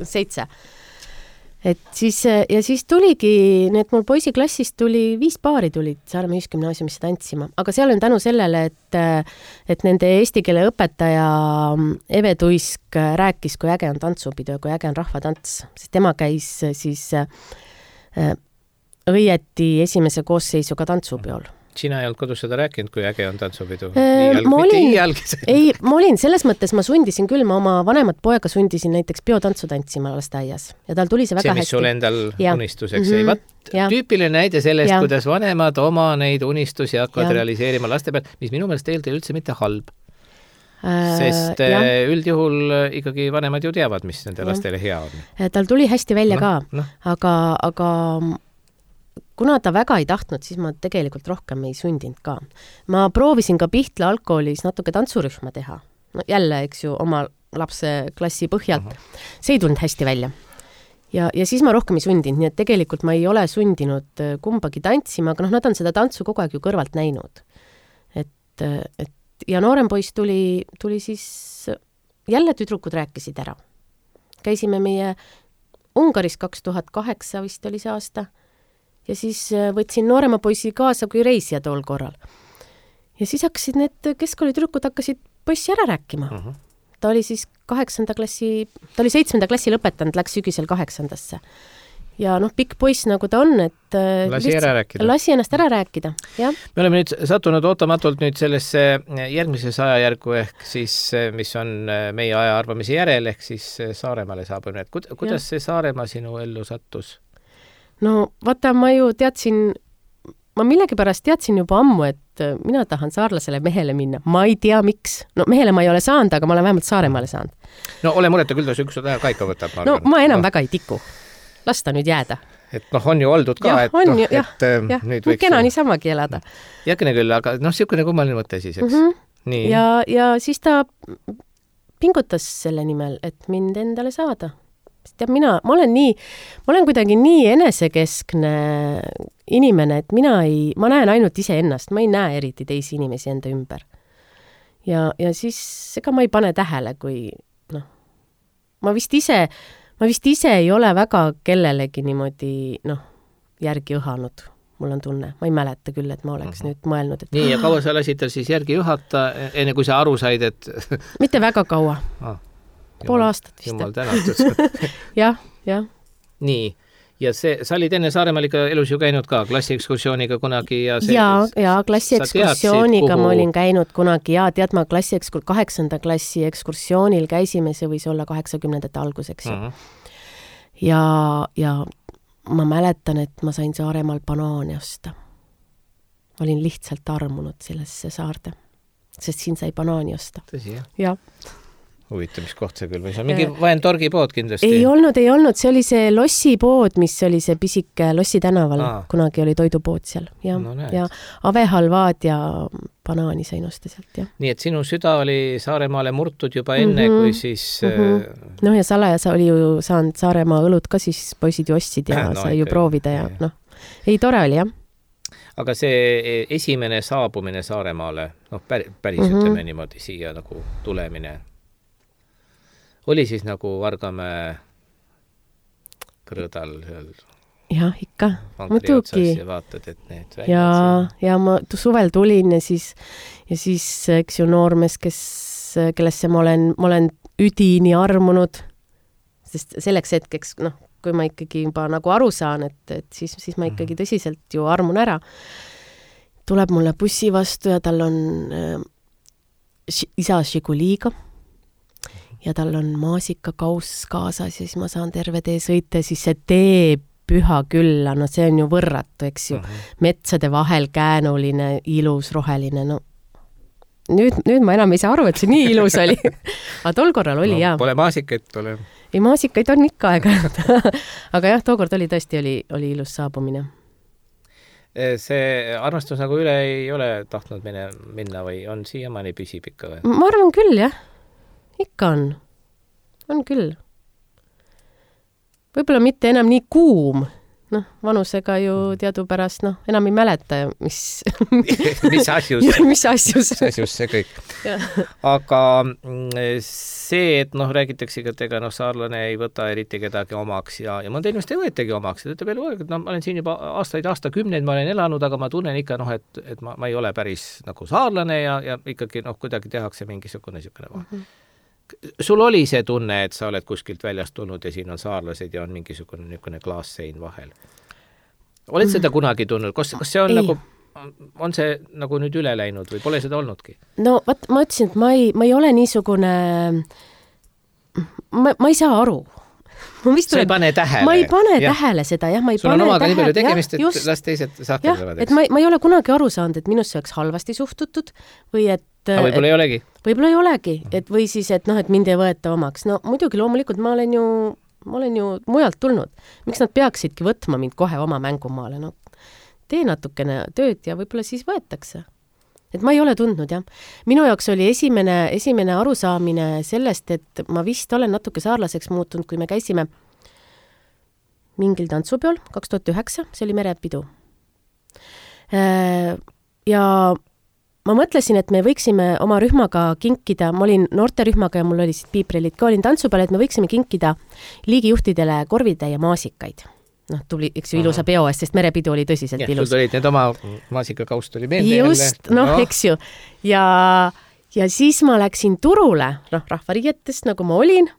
S3: seitse. Et siis, ja siis tuligi, need mul poisiklassist tuli, viis paari tulid Saaremaa ühisgümnaasiumisse tantsima, aga seal on tänu sellele, et, et nende eesti keele õpetaja Eve Tuisk rääkis, kui äge on tantsupidu ja kui äge on rahvatants, sest tema käis siis õieti esimese koosseisuga tantsupeol.
S2: Sina ei olnud kodus seda rääkinud, kui äge on tantsupidu?
S3: Äh, ma olin, ei, ma olin, selles mõttes ma sundisin küll, ma oma vanemat poega sundisin näiteks biotantsu tantsima lasteaias ja tal tuli see väga
S2: see, mis
S3: hästi.
S2: sul endal ja. unistuseks
S3: mm-hmm.
S2: ei. Vat,
S3: ja.
S2: tüüpiline näide sellest,
S3: ja.
S2: kuidas vanemad oma neid unistusi hakkavad
S3: ja.
S2: realiseerima laste peal, mis minu meelest tegelikult ei üldse mitte halb.
S3: Äh,
S2: Sest ja. üldjuhul ikkagi vanemad ju teavad, mis nende ja. lastele hea on.
S3: Tal tuli hästi välja no, ka,
S2: no.
S3: aga, aga kuna ta väga ei tahtnud, siis ma tegelikult rohkem ei sundinud ka. Ma proovisin ka Pihtla algkoolis natuke tantsurühma teha. No, jälle, eks ju, oma lapse klassi põhjalt. Uh-huh. See ei tulnud hästi välja. Ja, ja siis ma rohkem ei sundinud, nii et tegelikult ma ei ole sundinud kumbagi tantsima, aga noh, nad on seda tantsu kogu aeg ju kõrvalt näinud. Et, et, ja noorem poiss tuli, tuli siis, jälle tüdrukud rääkisid ära. Käisime meie Ungaris kaks tuhat kaheksa vist oli see aasta. Ja siis võtsin noorema poisi kaasa kui reisija tool korral. Ja siis hakkasid need keskkoolitüdrukud hakkasid poissi ära rääkima. Uh-huh. Ta oli siis kaheksanda klassi, ta oli seitsmenda klassi lõpetanud, läks sügisel kaheksandasse. Ja noh, pikk poiss nagu ta on, et
S2: lasi, lihtsalt, ära rääkida.
S3: lasi ennast ära rääkida. Ja.
S2: Me oleme nüüd sattunud ootamatult nüüd sellesse järgmises ajajärgu ehk siis, mis on meie aja arvamise järel, ehk siis Saaremaale saabumine. Kuidas ja. see Saaremaa sinu ellu sattus?
S3: No vaata, ma ju teadsin, ma millegipärast teadsin juba ammu, et mina tahan saarlasele mehele minna. Ma ei tea, miks. No mehele ma ei ole saanud, aga ma olen vähemalt Saaremaale saanud.
S2: No ole mureta, küll ta üks aja kaika võtab.
S3: Ma no ma enam no. väga ei tiku. Lasta nüüd jääda.
S2: Et noh, on ju oldud ka,
S3: ja,
S2: et,
S3: on,
S2: noh,
S3: ju,
S2: et
S3: jah,
S2: ähm, nüüd
S3: võiks... Kena niisamagi elada.
S2: Jäkene küll, aga noh, siukene kummaline mõte siis, eks?
S3: Mm-hmm.
S2: Nii.
S3: Ja, ja siis ta pingutas selle nimel, et mind endale saada. Teab, mina, ma olen nii, ma olen kuidagi nii enesekeskne inimene, et mina ei, ma näen ainult ise ennast, ma ei näe eriti teisi inimesi enda ümber. Ja, ja siis ega ma ei pane tähele, kui noh, ma vist ise, ma vist ise ei ole väga kellelegi niimoodi, noh, järgi õhanud. Mul on tunne, ma ei mäleta küll, et ma oleks uh-huh. nüüd mõelnud, et...
S2: Nii, ja kaua sa lasid tal siis järgi õhata, enne kui sa aru said, et...
S3: Mitte väga kaua.
S2: Ah.
S3: Pool aastat vist.
S2: Jumal tänatud.
S3: jah, jah.
S2: Nii, ja see, sa olid enne Saaremaal ikka elus ju käinud ka klassiekskursiooniga kunagi ja see...
S3: Ja, ja klassiekskursiooniga kuhu... ma olin käinud kunagi ja tead ma klassiekskur... kaheksanda klassi ekskursioonil käisime, see võis olla kaheksakümnendate alguseks. Uh-huh. Ja, ja ma mäletan, et ma sain Saaremaal banaani osta. Ma olin lihtsalt armunud sellesse saarde, sest siin sai banaani osta.
S2: Tõsi, jah?
S3: Jah.
S2: Huvitav, mis koht see küll või? See on mingi vaentorgi pood kindlasti.
S3: Ei olnud, ei olnud. See oli see Lossi pood, mis oli see pisike Lossi tänaval. Aa. Kunagi oli toidupood seal. Ja, no, ja avehalvaad ja banaani sain osta sealt. Ja.
S2: Nii, et sinu süda oli Saaremaale murtud juba enne, mm-hmm. kui siis...
S3: Mm-hmm. Noh, ja salaja sa oli ju saanud Saaremaa õlut ka, siis poisid ju ostsid ja no, sai ju proovida ja, ja noh. Ei, tore oli, jah.
S2: Aga see esimene saabumine Saaremaale, noh, päris, päris mm-hmm. ütleme niimoodi siia nagu tulemine... Oli siis nagu Vargamäe kõrõdal
S3: jah, ikka, muidugi.
S2: Ja vaatad, et need
S3: ja, ja ma suvel tulin ja siis, ja siis eks ju noormees, kes, kellesse ma olen, ma olen üdini armunud, sest selleks hetkeks, noh, kui ma ikkagi juba nagu aru saan, et, et siis, siis ma ikkagi tõsiselt ju armun ära. Tuleb mulle bussi vastu ja tal on äh, isa Žiguliga. Ja tal on maasikakauss kaasas ja siis ma saan terve tee sõita, siis see tee püha külla, no see on ju võrratu, eks ju. Uh-huh. Metsade vahel käänuline, ilus, roheline, no nüüd, nüüd ma enam ei saa aru, et see nii ilus oli. Aga tol korral oli, no, jah.
S2: Pole maasikaid, pole.
S3: Ei, maasikaid on ikka aega. Aga jah, tookord oli tõesti oli, oli ilus saabumine.
S2: See armastus nagu üle ei ole tahtnud minna, minna või on siiamaani püsib ikka või?
S3: Ma arvan küll, jah. Ikka on. On küll. Võib-olla mitte enam nii kuum. Noh, vanusega ju teadupärast, noh, enam ei mäleta, mis...
S2: mis asjus.
S3: mis asjus.
S2: mis asjus see kõik. Aga see, et noh, räägitakse, et ega noh, saarlane ei võta eriti kedagi omaks ja, ja mõnda inimest ei võetagi omaks. Ta ütleb veel, et no, ma olen siin juba aastaid, aastakümneid, ma olen elanud, aga ma tunnen ikka, noh, et, et ma, ma ei ole päris nagu saarlane ja, ja ikkagi, noh, kuidagi tehakse mingisugune niisugune vahe. Mm-hmm. Sul oli see tunne, et sa oled kuskilt väljast tulnud ja siin on saarlased ja on mingisugune niisugune klaassein vahel? oled seda kunagi tundnud, kas, kas see on
S3: ei.
S2: nagu, on see nagu nüüd üle läinud või pole seda olnudki?
S3: No vaat, ma ütlesin, et ma ei, ma ei ole niisugune, ma, ma ei saa aru. Ma
S2: sa ei pane tähele.
S3: Ma ei pane ja. tähele seda, jah, ma ei
S2: sul
S3: pane tähele.
S2: Sul on omaga nii palju tegemist, et just. Las teised sahkerdavad.
S3: Et ma, ma ei ole kunagi aru saanud, et minusse oleks halvasti suhtutud või et...
S2: Aga võib-olla ei olegi?
S3: Võib-olla ei olegi, et või siis, et noh, et mind ei võeta omaks. No muidugi loomulikult ma olen ju ma olen ju mujalt tulnud. Miks nad peaksidki võtma mind kohe oma mängumaale? No, tee natukene tööd ja võib-olla siis võetakse. Et ma ei ole tundnud, jah. Minu jaoks oli esimene, esimene arusaamine sellest, et ma vist olen natuke saarlaseks muutunud, kui me käisime mingil tantsupeol kaks tuhat üheksa, see oli merepidu. Ja ma mõtlesin, et me võiksime oma rühmaga kinkida, ma olin noorterühmaga ja mul oli siit piiprillid ka, olin tantsu peal, et me võiksime kinkida liigijuhtidele korvitäie maasikaid. Noh, tuli, eks ju, ilusa peo eest, sest merepidu oli tõsiselt
S2: ja,
S3: ilus.
S2: Sul tulid need oma maasikakaust oli meelde.
S3: Just, noh, no. Eks ju. Ja, ja siis ma läksin turule, noh, rahvariietest, nagu ma olin,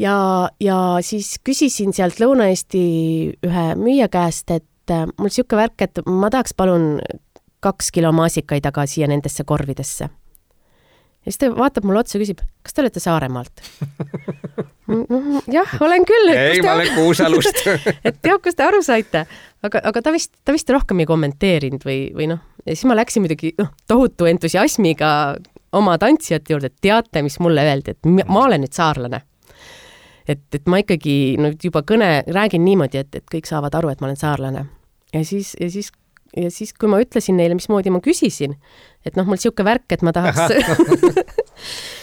S3: ja, ja siis küsisin sealt Lõuna-Eesti ühe müüja käest, et mul siuke värk, et ma tahaks palun kaks kilo maasikaid aga siia nendesse korvidesse. Ja siis ta vaatab mulle otsa ja küsib, kas te olete Saaremaalt? Jah, olen küll.
S2: Ei, ma olen Kuusalust.
S3: Et teab, kas te aru saite. Aga, aga ta, vist, ta vist rohkem ei kommenteerinud või, või noh. Ja siis ma läksin muidugi noh, tohutu entusiasmiga oma tantsijate juurde, et teate, mis mulle öeldi, et ma olen nüüd saarlane. Et, et ma ikkagi no, juba kõne räägin niimoodi, et, et kõik saavad aru, et ma olen saarlane. Ja siis, ja siis Ja siis, kui ma ütlesin neile, mismoodi ma küsisin, et noh, mul siuke värk, et ma tahaks...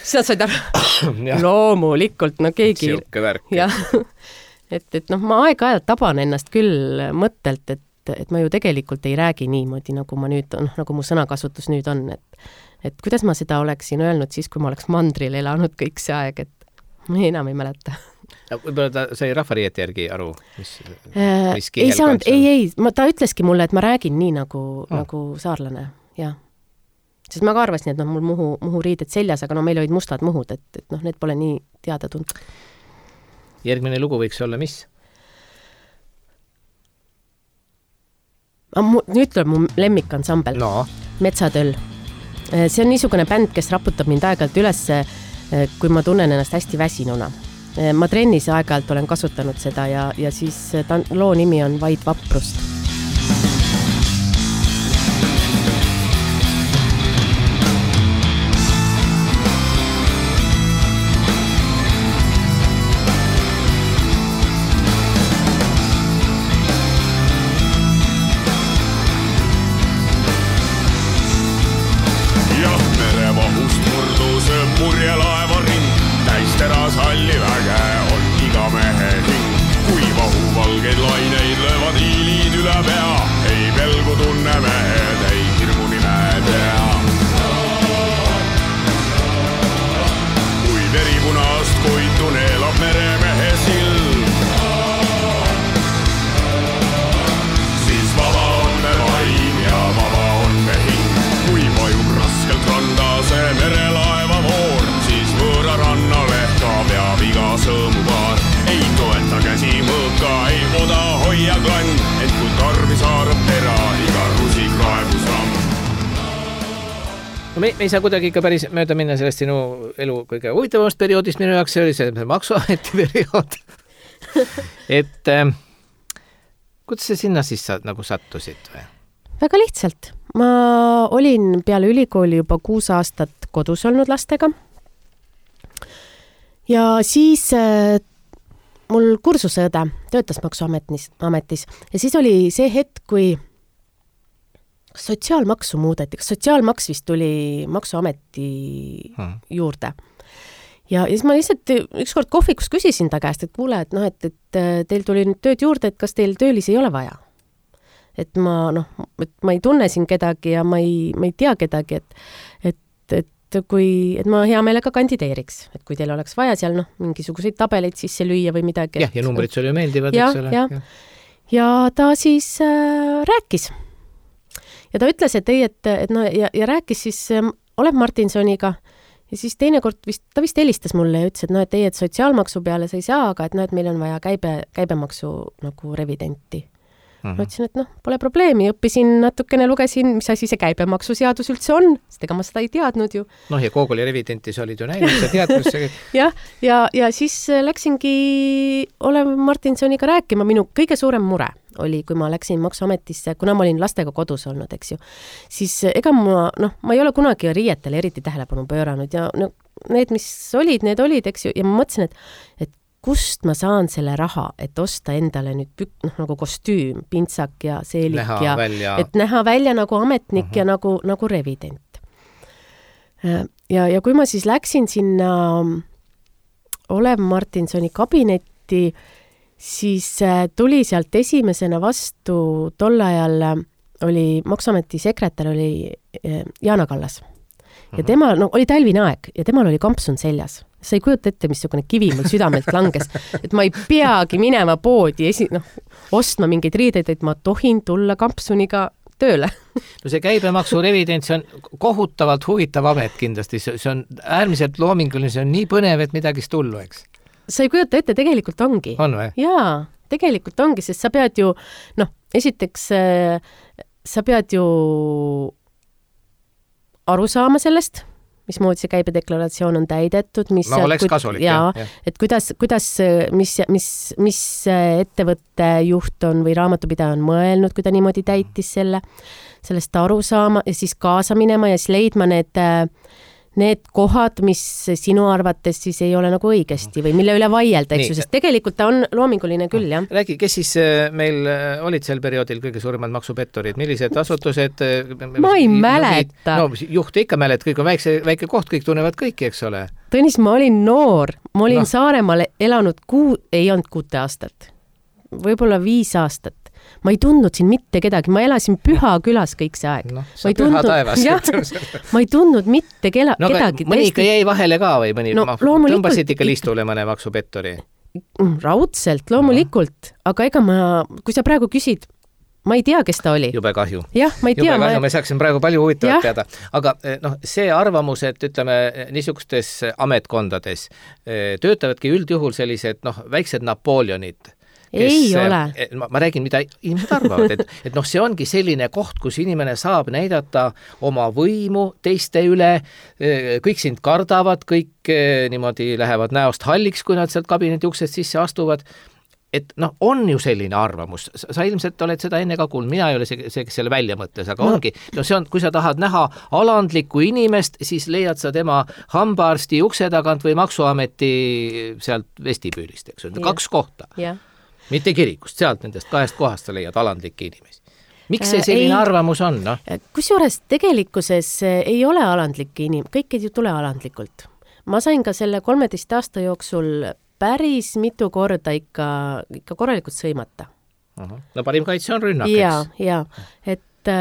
S3: siis nad said aru, loomulikult, no keegi...
S2: Siuke värk.
S3: Ja, et, et noh, ma aeg-ajalt taban ennast küll mõttelt, et, et ma ju tegelikult ei räägi niimoodi, nagu ma nüüd, noh, nagu mu sõnakasutus nüüd on, et, et kuidas ma seda oleksin öelnud siis, kui ma oleks mandril elanud kõik see aeg, et ma enam ei mäleta.
S2: Võib-olla ta sai rahvariieti järgi aru, mis,
S3: äh, mis ei saanud, ei, ei, ma, ta ütleski mulle, et ma räägin nii nagu, oh. nagu saarlane, jah. Sest ma ka arvasin, et noh, mul muhu, muhu riided seljas, aga no meil olid mustad muhud, et, et noh, need pole nii teada tund.
S2: Järgmine lugu võiks olla mis?
S3: Nüüd tuleb mu lemmikansambel,
S2: no.
S3: Metsatöll. See on niisugune bänd, kes raputab mind aeg-ajalt üles, kui ma tunnen ennast hästi väsinuna. Ma trennis aeg-ajalt olen kasutanud seda ja, ja siis ta, loo nimi on Vaid vaprust.
S4: Jah, merevahust murdus murjelaeva ring, täis teras halli väge on iga mehe hing. Kui vahu valgeid laineid löövad hiilid üle pea, ei pelgu tunne mehed, ei hirmu nime tea. Kui veripunast koitu neelab meremehe sild, siis vaba on me vaim ja vaba on me hing. Kui vajub raskelt randa see merelaeva voor, siis võõra rannale ka peab iga sõõmupaar. Ei toeta käsi mõõka, ei oda hoia klann, et kui tarvis haarab tera, iga rusik raebus ramm.
S2: No me, me ei saa kuidagi ikka päris mööda minna sellest sinu elu kõige huvitavast perioodist minu jaoks, see oli see maksuameti periood. et äh, kuidas sa sinna siis sa, nagu sattusid või?
S3: Väga lihtsalt. Ma olin peale ülikooli juba kuus aastat kodus olnud lastega. Ja siis äh, mul kursuseõde töötas maksuametis ametis. Ja siis oli see hetk, kui sotsiaalmaksu muudeti. Sotsiaalmaks vist tuli maksuameti hmm. juurde. Ja, ja siis ma lihtsalt ükskord kohvikus küsisin ta käest, et kuule, et, no, et, et teil tuli nüüd tööd juurde, et kas teil töölisi ei ole vaja? Et ma, noh, et ma ei tunne siin kedagi ja ma ei, ma ei tea kedagi, et, et, et, kui, et ma hea meelega kandideeriks. Et kui teil oleks vaja seal, noh, mingisuguseid tabeleid sisse lüüa või midagi.
S2: Jah, ja numbrid sulle meeldivad,
S3: ja,
S2: eks ole.
S3: Ja. Ja. ja ta siis äh, rääkis. Ja ta ütles, et ei, et, et no, ja, ja rääkis siis äh, Olev Martinsoniga ja siis teinekord vist, ta vist helistas mulle ja ütles, et no, et ei, et sotsiaalmaksu peale sa ei saa, aga et no, et meil on vaja käibe, käibemaksu nagu revidenti. Mm-hmm. Ma ütlesin, et noh, pole probleemi, õppisin natukene, lugesin, mis asi see käibemaksuseadus üldse on, sest ega ma seda ei teadnud ju.
S2: Noh, ja Google'i revidentis olid ju näinud, sa tead, kus see...
S3: jah, ja, ja siis läksingi Olev Martinsoniga rääkima, minu kõige suurem mure oli, kui ma läksin Maksuametisse, kuna ma olin lastega kodus olnud, eks ju, siis ega ma, noh, ma ei ole kunagi riietele eriti tähelepanu pööranud ja no, need, mis olid, need olid, eks ju, ja ma mõtlesin, et, et kust ma saan selle raha, et osta endale nüüd pük, noh, nagu kostüüm, pintsak ja seelik
S2: näha
S3: ja
S2: välja.
S3: Et näha välja nagu ametnik uh-huh. ja nagu, nagu revident. Ja, ja kui ma siis läksin sinna Olev Martinsoni kabinetti, siis tuli sealt esimesena vastu, tol ajal oli Maksuameti sekretär oli Jaana Kallas. Ja tema, no oli talvine aeg ja temal oli kampsun seljas. Sa ei kujuta ette, missugune kivi mul südamelt langes, et ma ei peagi minema poodi esi, noh, ostma mingeid riideid, et ma tohin tulla kampsuniga tööle.
S2: No see käibemaksu revidents on kohutavalt huvitav amet kindlasti, see on äärmiselt loominguline, see on nii põnev, et midagi tullu, eks?
S3: Sa ei kujuta ette, tegelikult ongi.
S2: On või?
S3: Jaa, tegelikult ongi, sest sa pead ju, noh, esiteks sa pead ju aru saama sellest, mismoodi see käibedeklaratsioon on täidetud, mis
S2: no oleks kasulik,
S3: ja, jah. Et kuidas, kuidas mis, mis, mis ettevõtte juht on või raamatupidaja on mõelnud, kui ta niimoodi täitis selle, sellest aru saama ja siis kaasa minema ja siis leidma need, need kohad, mis sinu arvates siis ei ole nagu õigesti või mille üle vaielda, eks ju, sest tegelikult ta on loominguline küll, jah.
S2: Räägi, kes siis meil olid sel perioodil kõige suuremad maksupettorid, millised asutused?
S3: Ma ei mäleta.
S2: No, juhti ikka mälet, kõik on väikse, väike koht, kõik tunnevad kõiki, eks ole?
S3: Tõnis, ma olin noor, ma olin no. Saaremaal elanud kuu, ei olnud kuute aastat, võib-olla viis aastat. Ma ei tundnud siin mitte kedagi, ma elasin Püha külas kõik see aeg.
S2: No, sa Püha taevas.
S3: Ja, ma ei tundnud mitte kela,
S2: no,
S3: kedagi.
S2: Mõni ikka jäi vahele ka või mõni no, tõmbasid ikka listule mõne maksupettori?
S3: Raudselt, loomulikult. No. Aga ega ma, kui sa praegu küsid, ma ei tea, kes ta oli.
S2: Jube kahju.
S3: Jah, ma ei tea.
S2: Jube kahju, ma... me saaksin praegu palju huvitavat teada. Aga noh, see arvamus, et ütleme, niisugustes ametkondades töötavadki üldjuhul sellised noh, väiksed Napoleonid, kes,
S3: ei ole.
S2: Ma, ma räägin, mida inimesed arvavad, et, et noh, see ongi selline koht, kus inimene saab näidata oma võimu teiste üle, kõik sind kardavad, kõik niimoodi lähevad näost halliks, kui nad sealt kabineti uksest sisse astuvad. Et noh, on ju selline arvamus, sa ilmselt oled seda enne ka kuulnud, mina ei ole see, see kes selle välja mõtles, aga no. ongi, no see on, kui sa tahad näha alandlikku inimest, siis leiad sa tema hambaarsti ukse tagant või maksuameti sealt vestibüülist, eks on, kaks kohta.
S3: Jah.
S2: Mitte kirikust, sealt nendest kahest kohast sa leiad alandlikke inimesi. Miks see selline ei, arvamus on? No?
S3: Kusjuures tegelikkuses ei ole alandlikke inimesi, kõik ei tule alandlikult. Ma sain ka selle kolmeteist aasta jooksul päris mitu korda ikka, ikka korralikult sõimata.
S2: Aha. No parim kaitse on rünnak,
S3: ja, eks? Ja, et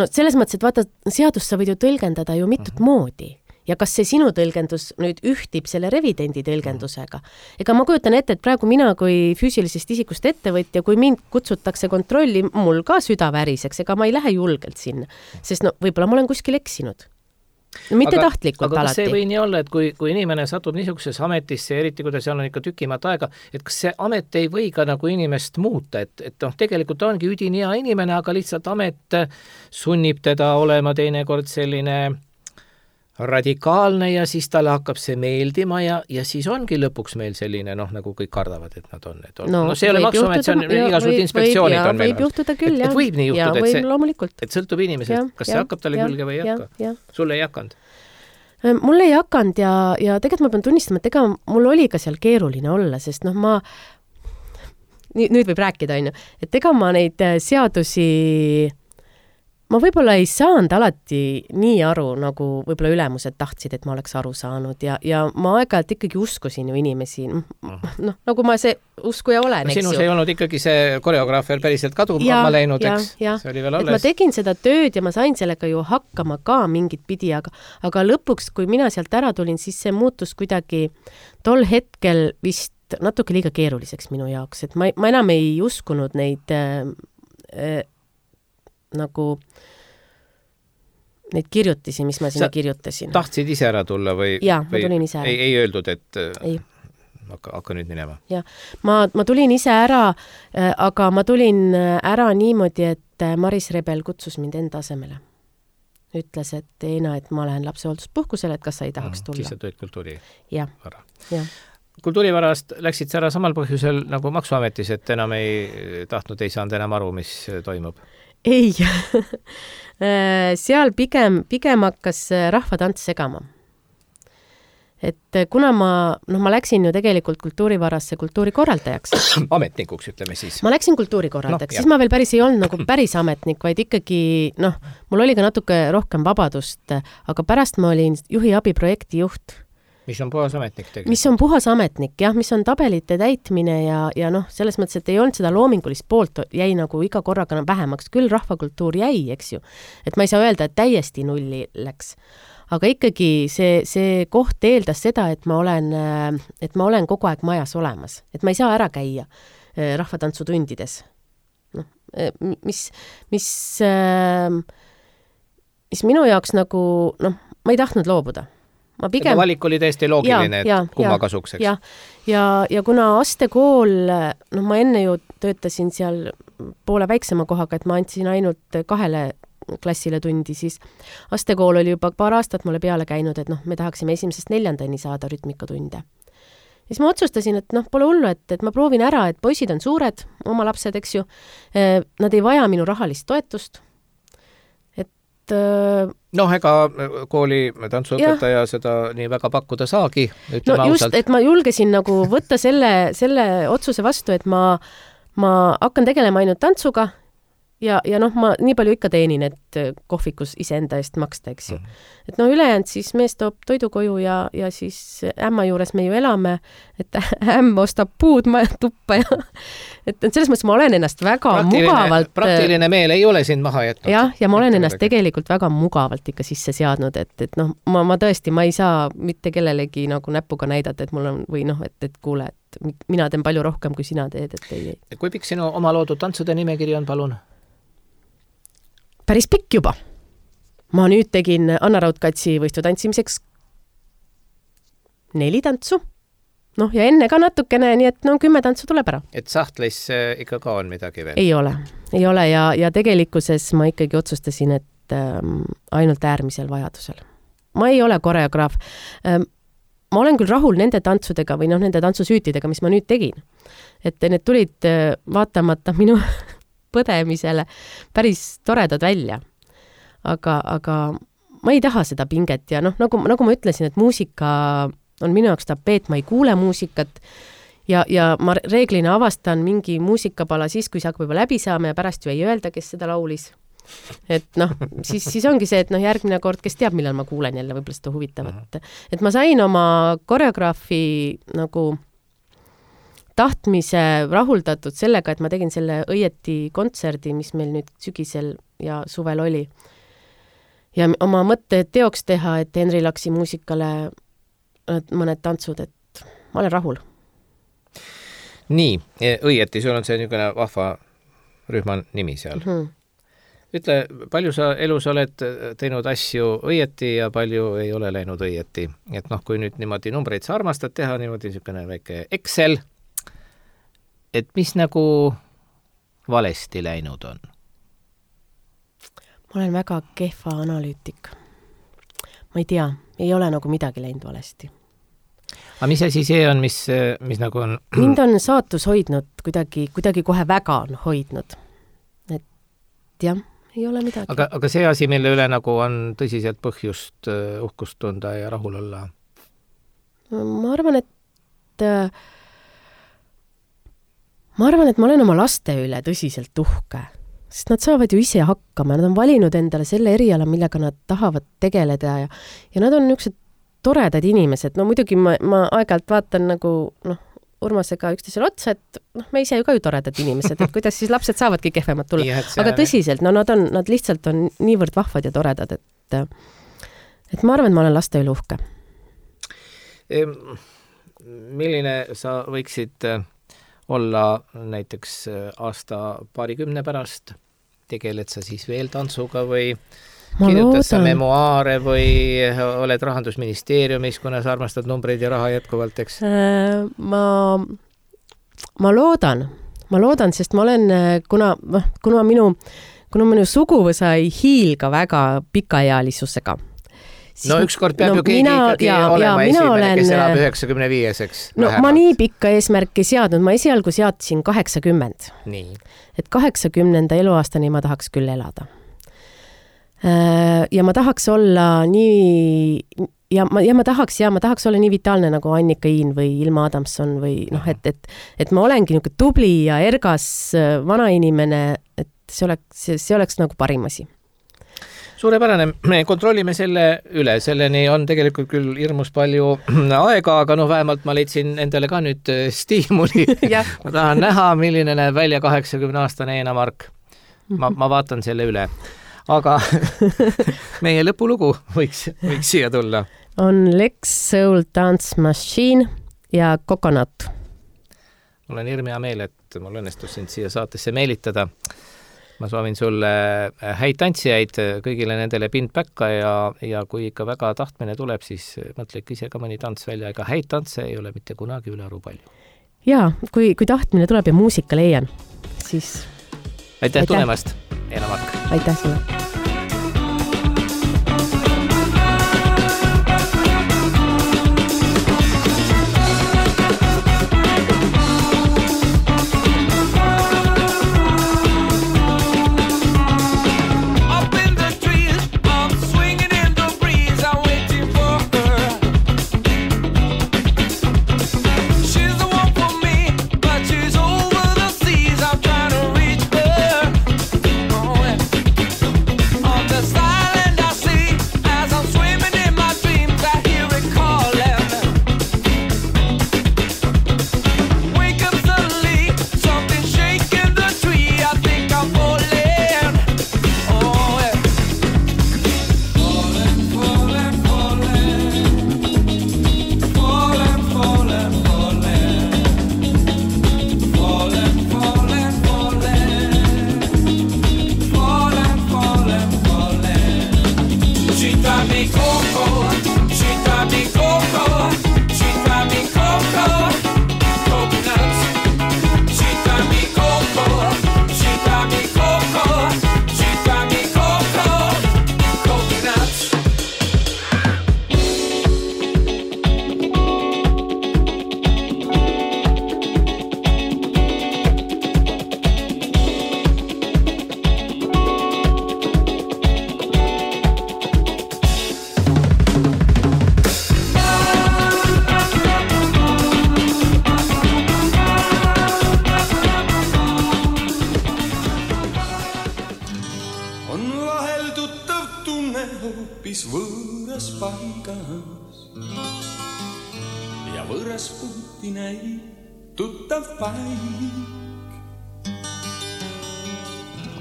S3: no selles mõttes, et vaata, seadust sa võid ju tõlgendada ju mitut uh-huh. moodi. Ja kas see sinu tõlgendus nüüd ühtib selle revidendi tõlgendusega? Ega ma kujutan ette, et praegu mina kui füüsilisest isikust ettevõtja, kui mind kutsutakse kontrolli, mul ka süda väriseks, ega ma ei lähe julgelt sinna. Sest no võib-olla ma olen kuskil eksinud. No, mitte
S2: aga,
S3: tahtlikult
S2: aga
S3: alati.
S2: Aga see või nii olla, et kui, kui inimene satub niisugusesse ametisse, eriti kui ta seal on ikka tükimat aega, et kas see amet ei või ka nagu inimest muuta, et, et noh, tegelikult ongi üdini hea inimene, aga lihtsalt amet sunnib teda olema teinekord selline radikaalne ja siis talle hakkab see meeldima ja, ja siis ongi lõpuks meil selline, noh, nagu kõik kardavad, et nad on. Et on. No, no see ei ole maksuamet, see on igasugused inspektsioonid
S3: ja,
S2: on meil.
S3: Võib juhtuda küll,
S2: et, et võib nii juhtuda,
S3: ja,
S2: et, see,
S3: loomulikult.
S2: et sõltub inimesest, kas ja, see hakkab talle ja, külge või ei hakka. Ja. Sulle ei hakanud?
S3: Mulle ei hakanud ja, ja tegelikult ma pean tunnistama, et ega mul oli ka seal keeruline olla, sest noh, ma nüüd võib rääkida, on ju, et ega ma neid seadusi ma võib-olla ei saanud alati nii aru, nagu võib-olla ülemused tahtsid, et ma oleks aru saanud ja, ja ma aeg-ajalt ikkagi uskusin ju inimesi, noh, nagu ma see uskuja olen,
S2: no,
S3: eks ju.
S2: Sinus ei olnud ikkagi see koreograafer päriselt kaduma läinud, eks?
S3: Ja,
S2: see oli veel
S3: alles.
S2: Et
S3: ma tegin seda tööd ja ma sain sellega ju hakkama ka mingit pidi, aga, aga lõpuks, kui mina sealt ära tulin, siis see muutus kuidagi tol hetkel vist natuke liiga keeruliseks minu jaoks, et ma, ma enam ei uskunud neid äh, äh, nagu neid kirjutisi, mis ma sinna
S2: Sa
S3: kirjutasin.
S2: Tahtsid ise ära tulla või?
S3: Jaa,
S2: või
S3: ma tulin ise ära.
S2: Ei, ei öeldud, et
S3: ei.
S2: hakka, hakka nüüd minema.
S3: jah, ma, ma tulin ise ära, aga ma tulin ära niimoodi, et Maris Rebel kutsus mind enda asemele. Ütles, et Eina, et ma lähen lapsehoolduspuhkusele, et kas sa ei tahaks tulla.
S2: Siis sa tööd kultuuri
S3: ja.
S2: vara.
S3: Ja.
S2: Kultuurivarast läksid sa ära samal põhjusel nagu Maksuametis, et enam ei tahtnud, ei saanud enam aru, mis toimub?
S3: Ei. Seal pigem, pigem hakkas rahvatants segama. Et kuna ma, noh, ma läksin ju tegelikult kultuurivarasse kultuurikorraldajaks.
S2: Ametnikuks, ütleme siis.
S3: Ma läksin kultuurikorraldajaks, no, siis ma veel päris ei olnud nagu päris ametnik, vaid ikkagi, noh, mul oli ka natuke rohkem vabadust, aga pärast ma olin juhi abiprojekti juht.
S2: Mis on puhas ametnik tegelikult?
S3: Mis on puhas ametnik, jah, mis on tabelite täitmine ja, ja noh, selles mõttes, et ei olnud seda loomingulist poolt, jäi nagu iga korraga vähemaks, küll rahvakultuur jäi, eks ju. Et ma ei saa öelda, et täiesti nulli läks. Aga ikkagi see, see koht eeldas seda, et ma olen, et ma olen kogu aeg majas olemas. Et ma ei saa ära käia rahvatantsutundides. No, mis, mis, mis minu jaoks nagu, noh, ma ei tahtnud loobuda. Ma pigem...
S2: valik oli täiesti loogiline, ja, et kumma kasuks, eks?
S3: Ja, ja, ja kuna Astekool, noh, ma enne ju töötasin seal poole väiksema kohaga, et ma andsin ainult kahele klassile tundi, siis Astekool oli juba paar aastat mulle peale käinud, et noh, me tahaksime esimesest neljandani saada rütmikatunde. Siis ma otsustasin, et noh, pole hullu, et, et ma proovin ära, et poisid on suured, oma lapsed, eks ju, nad ei vaja minu rahalist toetust, et
S2: noh, ega kooli tantsuõpetaja seda nii väga pakkuda saagi, ütleme
S3: no just,
S2: ausalt.
S3: Et ma julgesin nagu võtta selle, selle otsuse vastu, et ma, ma hakkan tegelema ainult tantsuga ja, ja noh, ma nii palju ikka teenin, et kohvikus iseenda eest maksta, eks ju. Mm-hmm. Et no ülejäänud siis mees toob toidu koju ja, ja siis ämma juures me ju elame, et ämm ostab puud tuppa ja et, et selles mõttes ma olen ennast väga
S2: praktiline,
S3: mugavalt...
S2: Praktiline meel ei ole sind maha jätnud.
S3: Jah, ja ma olen ennast tegelikult väga mugavalt ikka sisse seadnud, et, et noh, ma, ma tõesti, ma ei saa mitte kellelegi nagu näpuga näidata, et mul on, või noh, et, et kuule, et mina teen palju rohkem, kui sina teed, et ei, ei.
S2: Kui pikk sinu oma loodud tantsude nimekiri on, palun?
S3: Päris pikk juba. Ma nüüd tegin Anna Raudkatsi võistlu tantsimiseks neli tantsu. Noh, ja enne ka natukene, nii et no kümme tantsu tuleb ära.
S2: Et sahtlis ikka ka on midagi veel?
S3: Ei ole. Ei ole ja, ja tegelikkuses ma ikkagi otsustasin, et ähm, ainult äärmisel vajadusel. Ma ei ole koreograaf. Ähm, ma olen küll rahul nende tantsudega või noh, nende tantsusüütidega, mis ma nüüd tegin. Et need tulid äh, vaatamata minu... põdemisele päris toredad välja. Aga, aga ma ei taha seda pinget ja noh, nagu, nagu ma ütlesin, et muusika on minu jaoks tapeet, ma ei kuule muusikat ja, ja ma reeglina avastan mingi muusikapala siis, kui see hakkab juba läbi saama ja pärast ju ei öelda, kes seda laulis. Et noh, siis, siis ongi see, et noh, järgmine kord, kes teab, millal ma kuulen jälle võib-olla seda huvitavat. Et ma sain oma koreograafi nagu tahtmise rahuldatud sellega, et ma tegin selle õieti kontserdi, mis meil nüüd sügisel ja suvel oli. Ja oma mõtte teoks teha, et Henri Laksi muusikale mõned tantsud, et ma olen rahul.
S2: Nii, õieti, sul on see niisugune vahva rühma nimi seal. Mm-hmm. Ütle, palju sa elus oled teinud asju õieti ja palju ei ole läinud õieti? Et noh, kui nüüd niimoodi numbreid sa armastad teha, niimoodi niisugune väike Excel, et mis nagu valesti läinud on?
S3: Ma olen väga kehva analüütik. Ma ei tea, ei ole nagu midagi läinud valesti.
S2: Aga mis asi see on, mis, mis nagu on?
S3: Mind on saatus hoidnud, kuidagi, kuidagi kohe väga on hoidnud. Et jah, ei ole midagi.
S2: Aga, aga see asi, mille üle nagu on tõsiselt põhjust uhkust tunda ja rahul olla?
S3: Ma arvan, et Ma arvan, et ma olen oma laste üle tõsiselt uhke, sest nad saavad ju ise hakkama, nad on valinud endale selle eriala, millega nad tahavad tegeleda ja, ja nad on niisugused toredad inimesed. No muidugi ma, ma aeg-ajalt vaatan nagu noh, Urmasega üksteisele otsa, et noh, me ise ju ka ju toredad inimesed, et kuidas siis lapsed saavadki kehvemad tulla. Aga tõsiselt, no nad, on, nad lihtsalt on niivõrd vahvad ja toredad, et, et ma arvan, et ma olen laste üle uhke.
S2: Milline sa võiksid olla näiteks aasta paarikümne pärast, tegeled sa siis veel tantsuga või, kirjutad sa memuaare või oled Rahandusministeeriumis, kuna sa armastad numbreid ja raha jätkuvalt, eks?
S3: Ma, ma loodan, ma loodan, sest ma olen, kuna, kuna minu, kuna minu suguvõsa ei hiilga väga pikaealisusega.
S2: No ükskord peab no, ju keegi mina, ikkagi ja, olema ja, esimene, olen, kes elab üheksakümne viieseks.
S3: No vähemalt. Ma nii pikka eesmärki seadnud, ma esialgu seadsin kaheksakümmend.
S2: Nii.
S3: Et kaheksakümnenda eluaastani ma tahaks küll elada. Ja ma tahaks olla nii, ja ma, ja ma tahaks, ja ma tahaks olla nii vitaalne nagu Annika Iin või Ilma Adamson või noh, et, et, et ma olengi niisugune tubli ja ergas vanainimene, et see oleks, see oleks nagu parim asi.
S2: Suurepärane, me kontrollime selle üle, selleni on tegelikult küll hirmus palju aega, aga noh, vähemalt ma leidsin endale ka nüüd stiimuli. Ma tahan näha, milline näeb välja kaheksakümne aastane Eena Mark. Ma, ma vaatan selle üle. Aga meie lõpulugu võiks, võiks siia tulla.
S3: On Lex Soul Dance Machine ja Coconut.
S2: Mul on hirm hea meel, et mul õnnestus sind siia saatesse meelitada. Ma soovin sulle häid tantsijaid kõigile nendele pindpäkka ja, ja kui ikka väga tahtmine tuleb, siis mõtle ise ka mõni tants välja, ega häid tantse ei ole mitte kunagi üle aru palju.
S3: Jaa, kui, kui tahtmine tuleb ja muusika leian, siis...
S2: Aitäh, aitäh. Tulemast, Eena Mark!
S3: Aitäh sulle!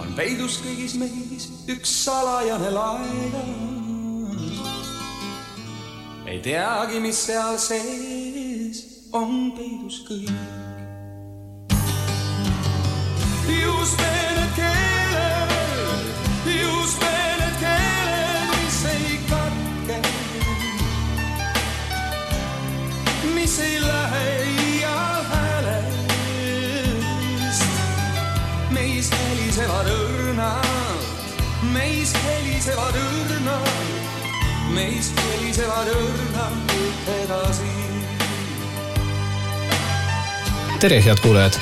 S1: On peidus kõigis meis üks salajane laega. Ei teagi, mis seal sees on peidus kõik. Just need keeled, just need keeled, mis ei katke, mis ei lähe ial häälest. Meis helisevad õrnad, meis helisevad õrnad, meis helisevad õrnad edasi.
S2: Tere, head kuulajad!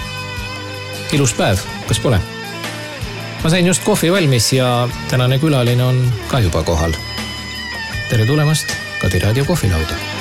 S2: Ilus päev, kas pole? Ma sain just kohvi valmis ja tänane külaline on ka juba kohal. Tere tulemast Kadi Raadio kohvilauda!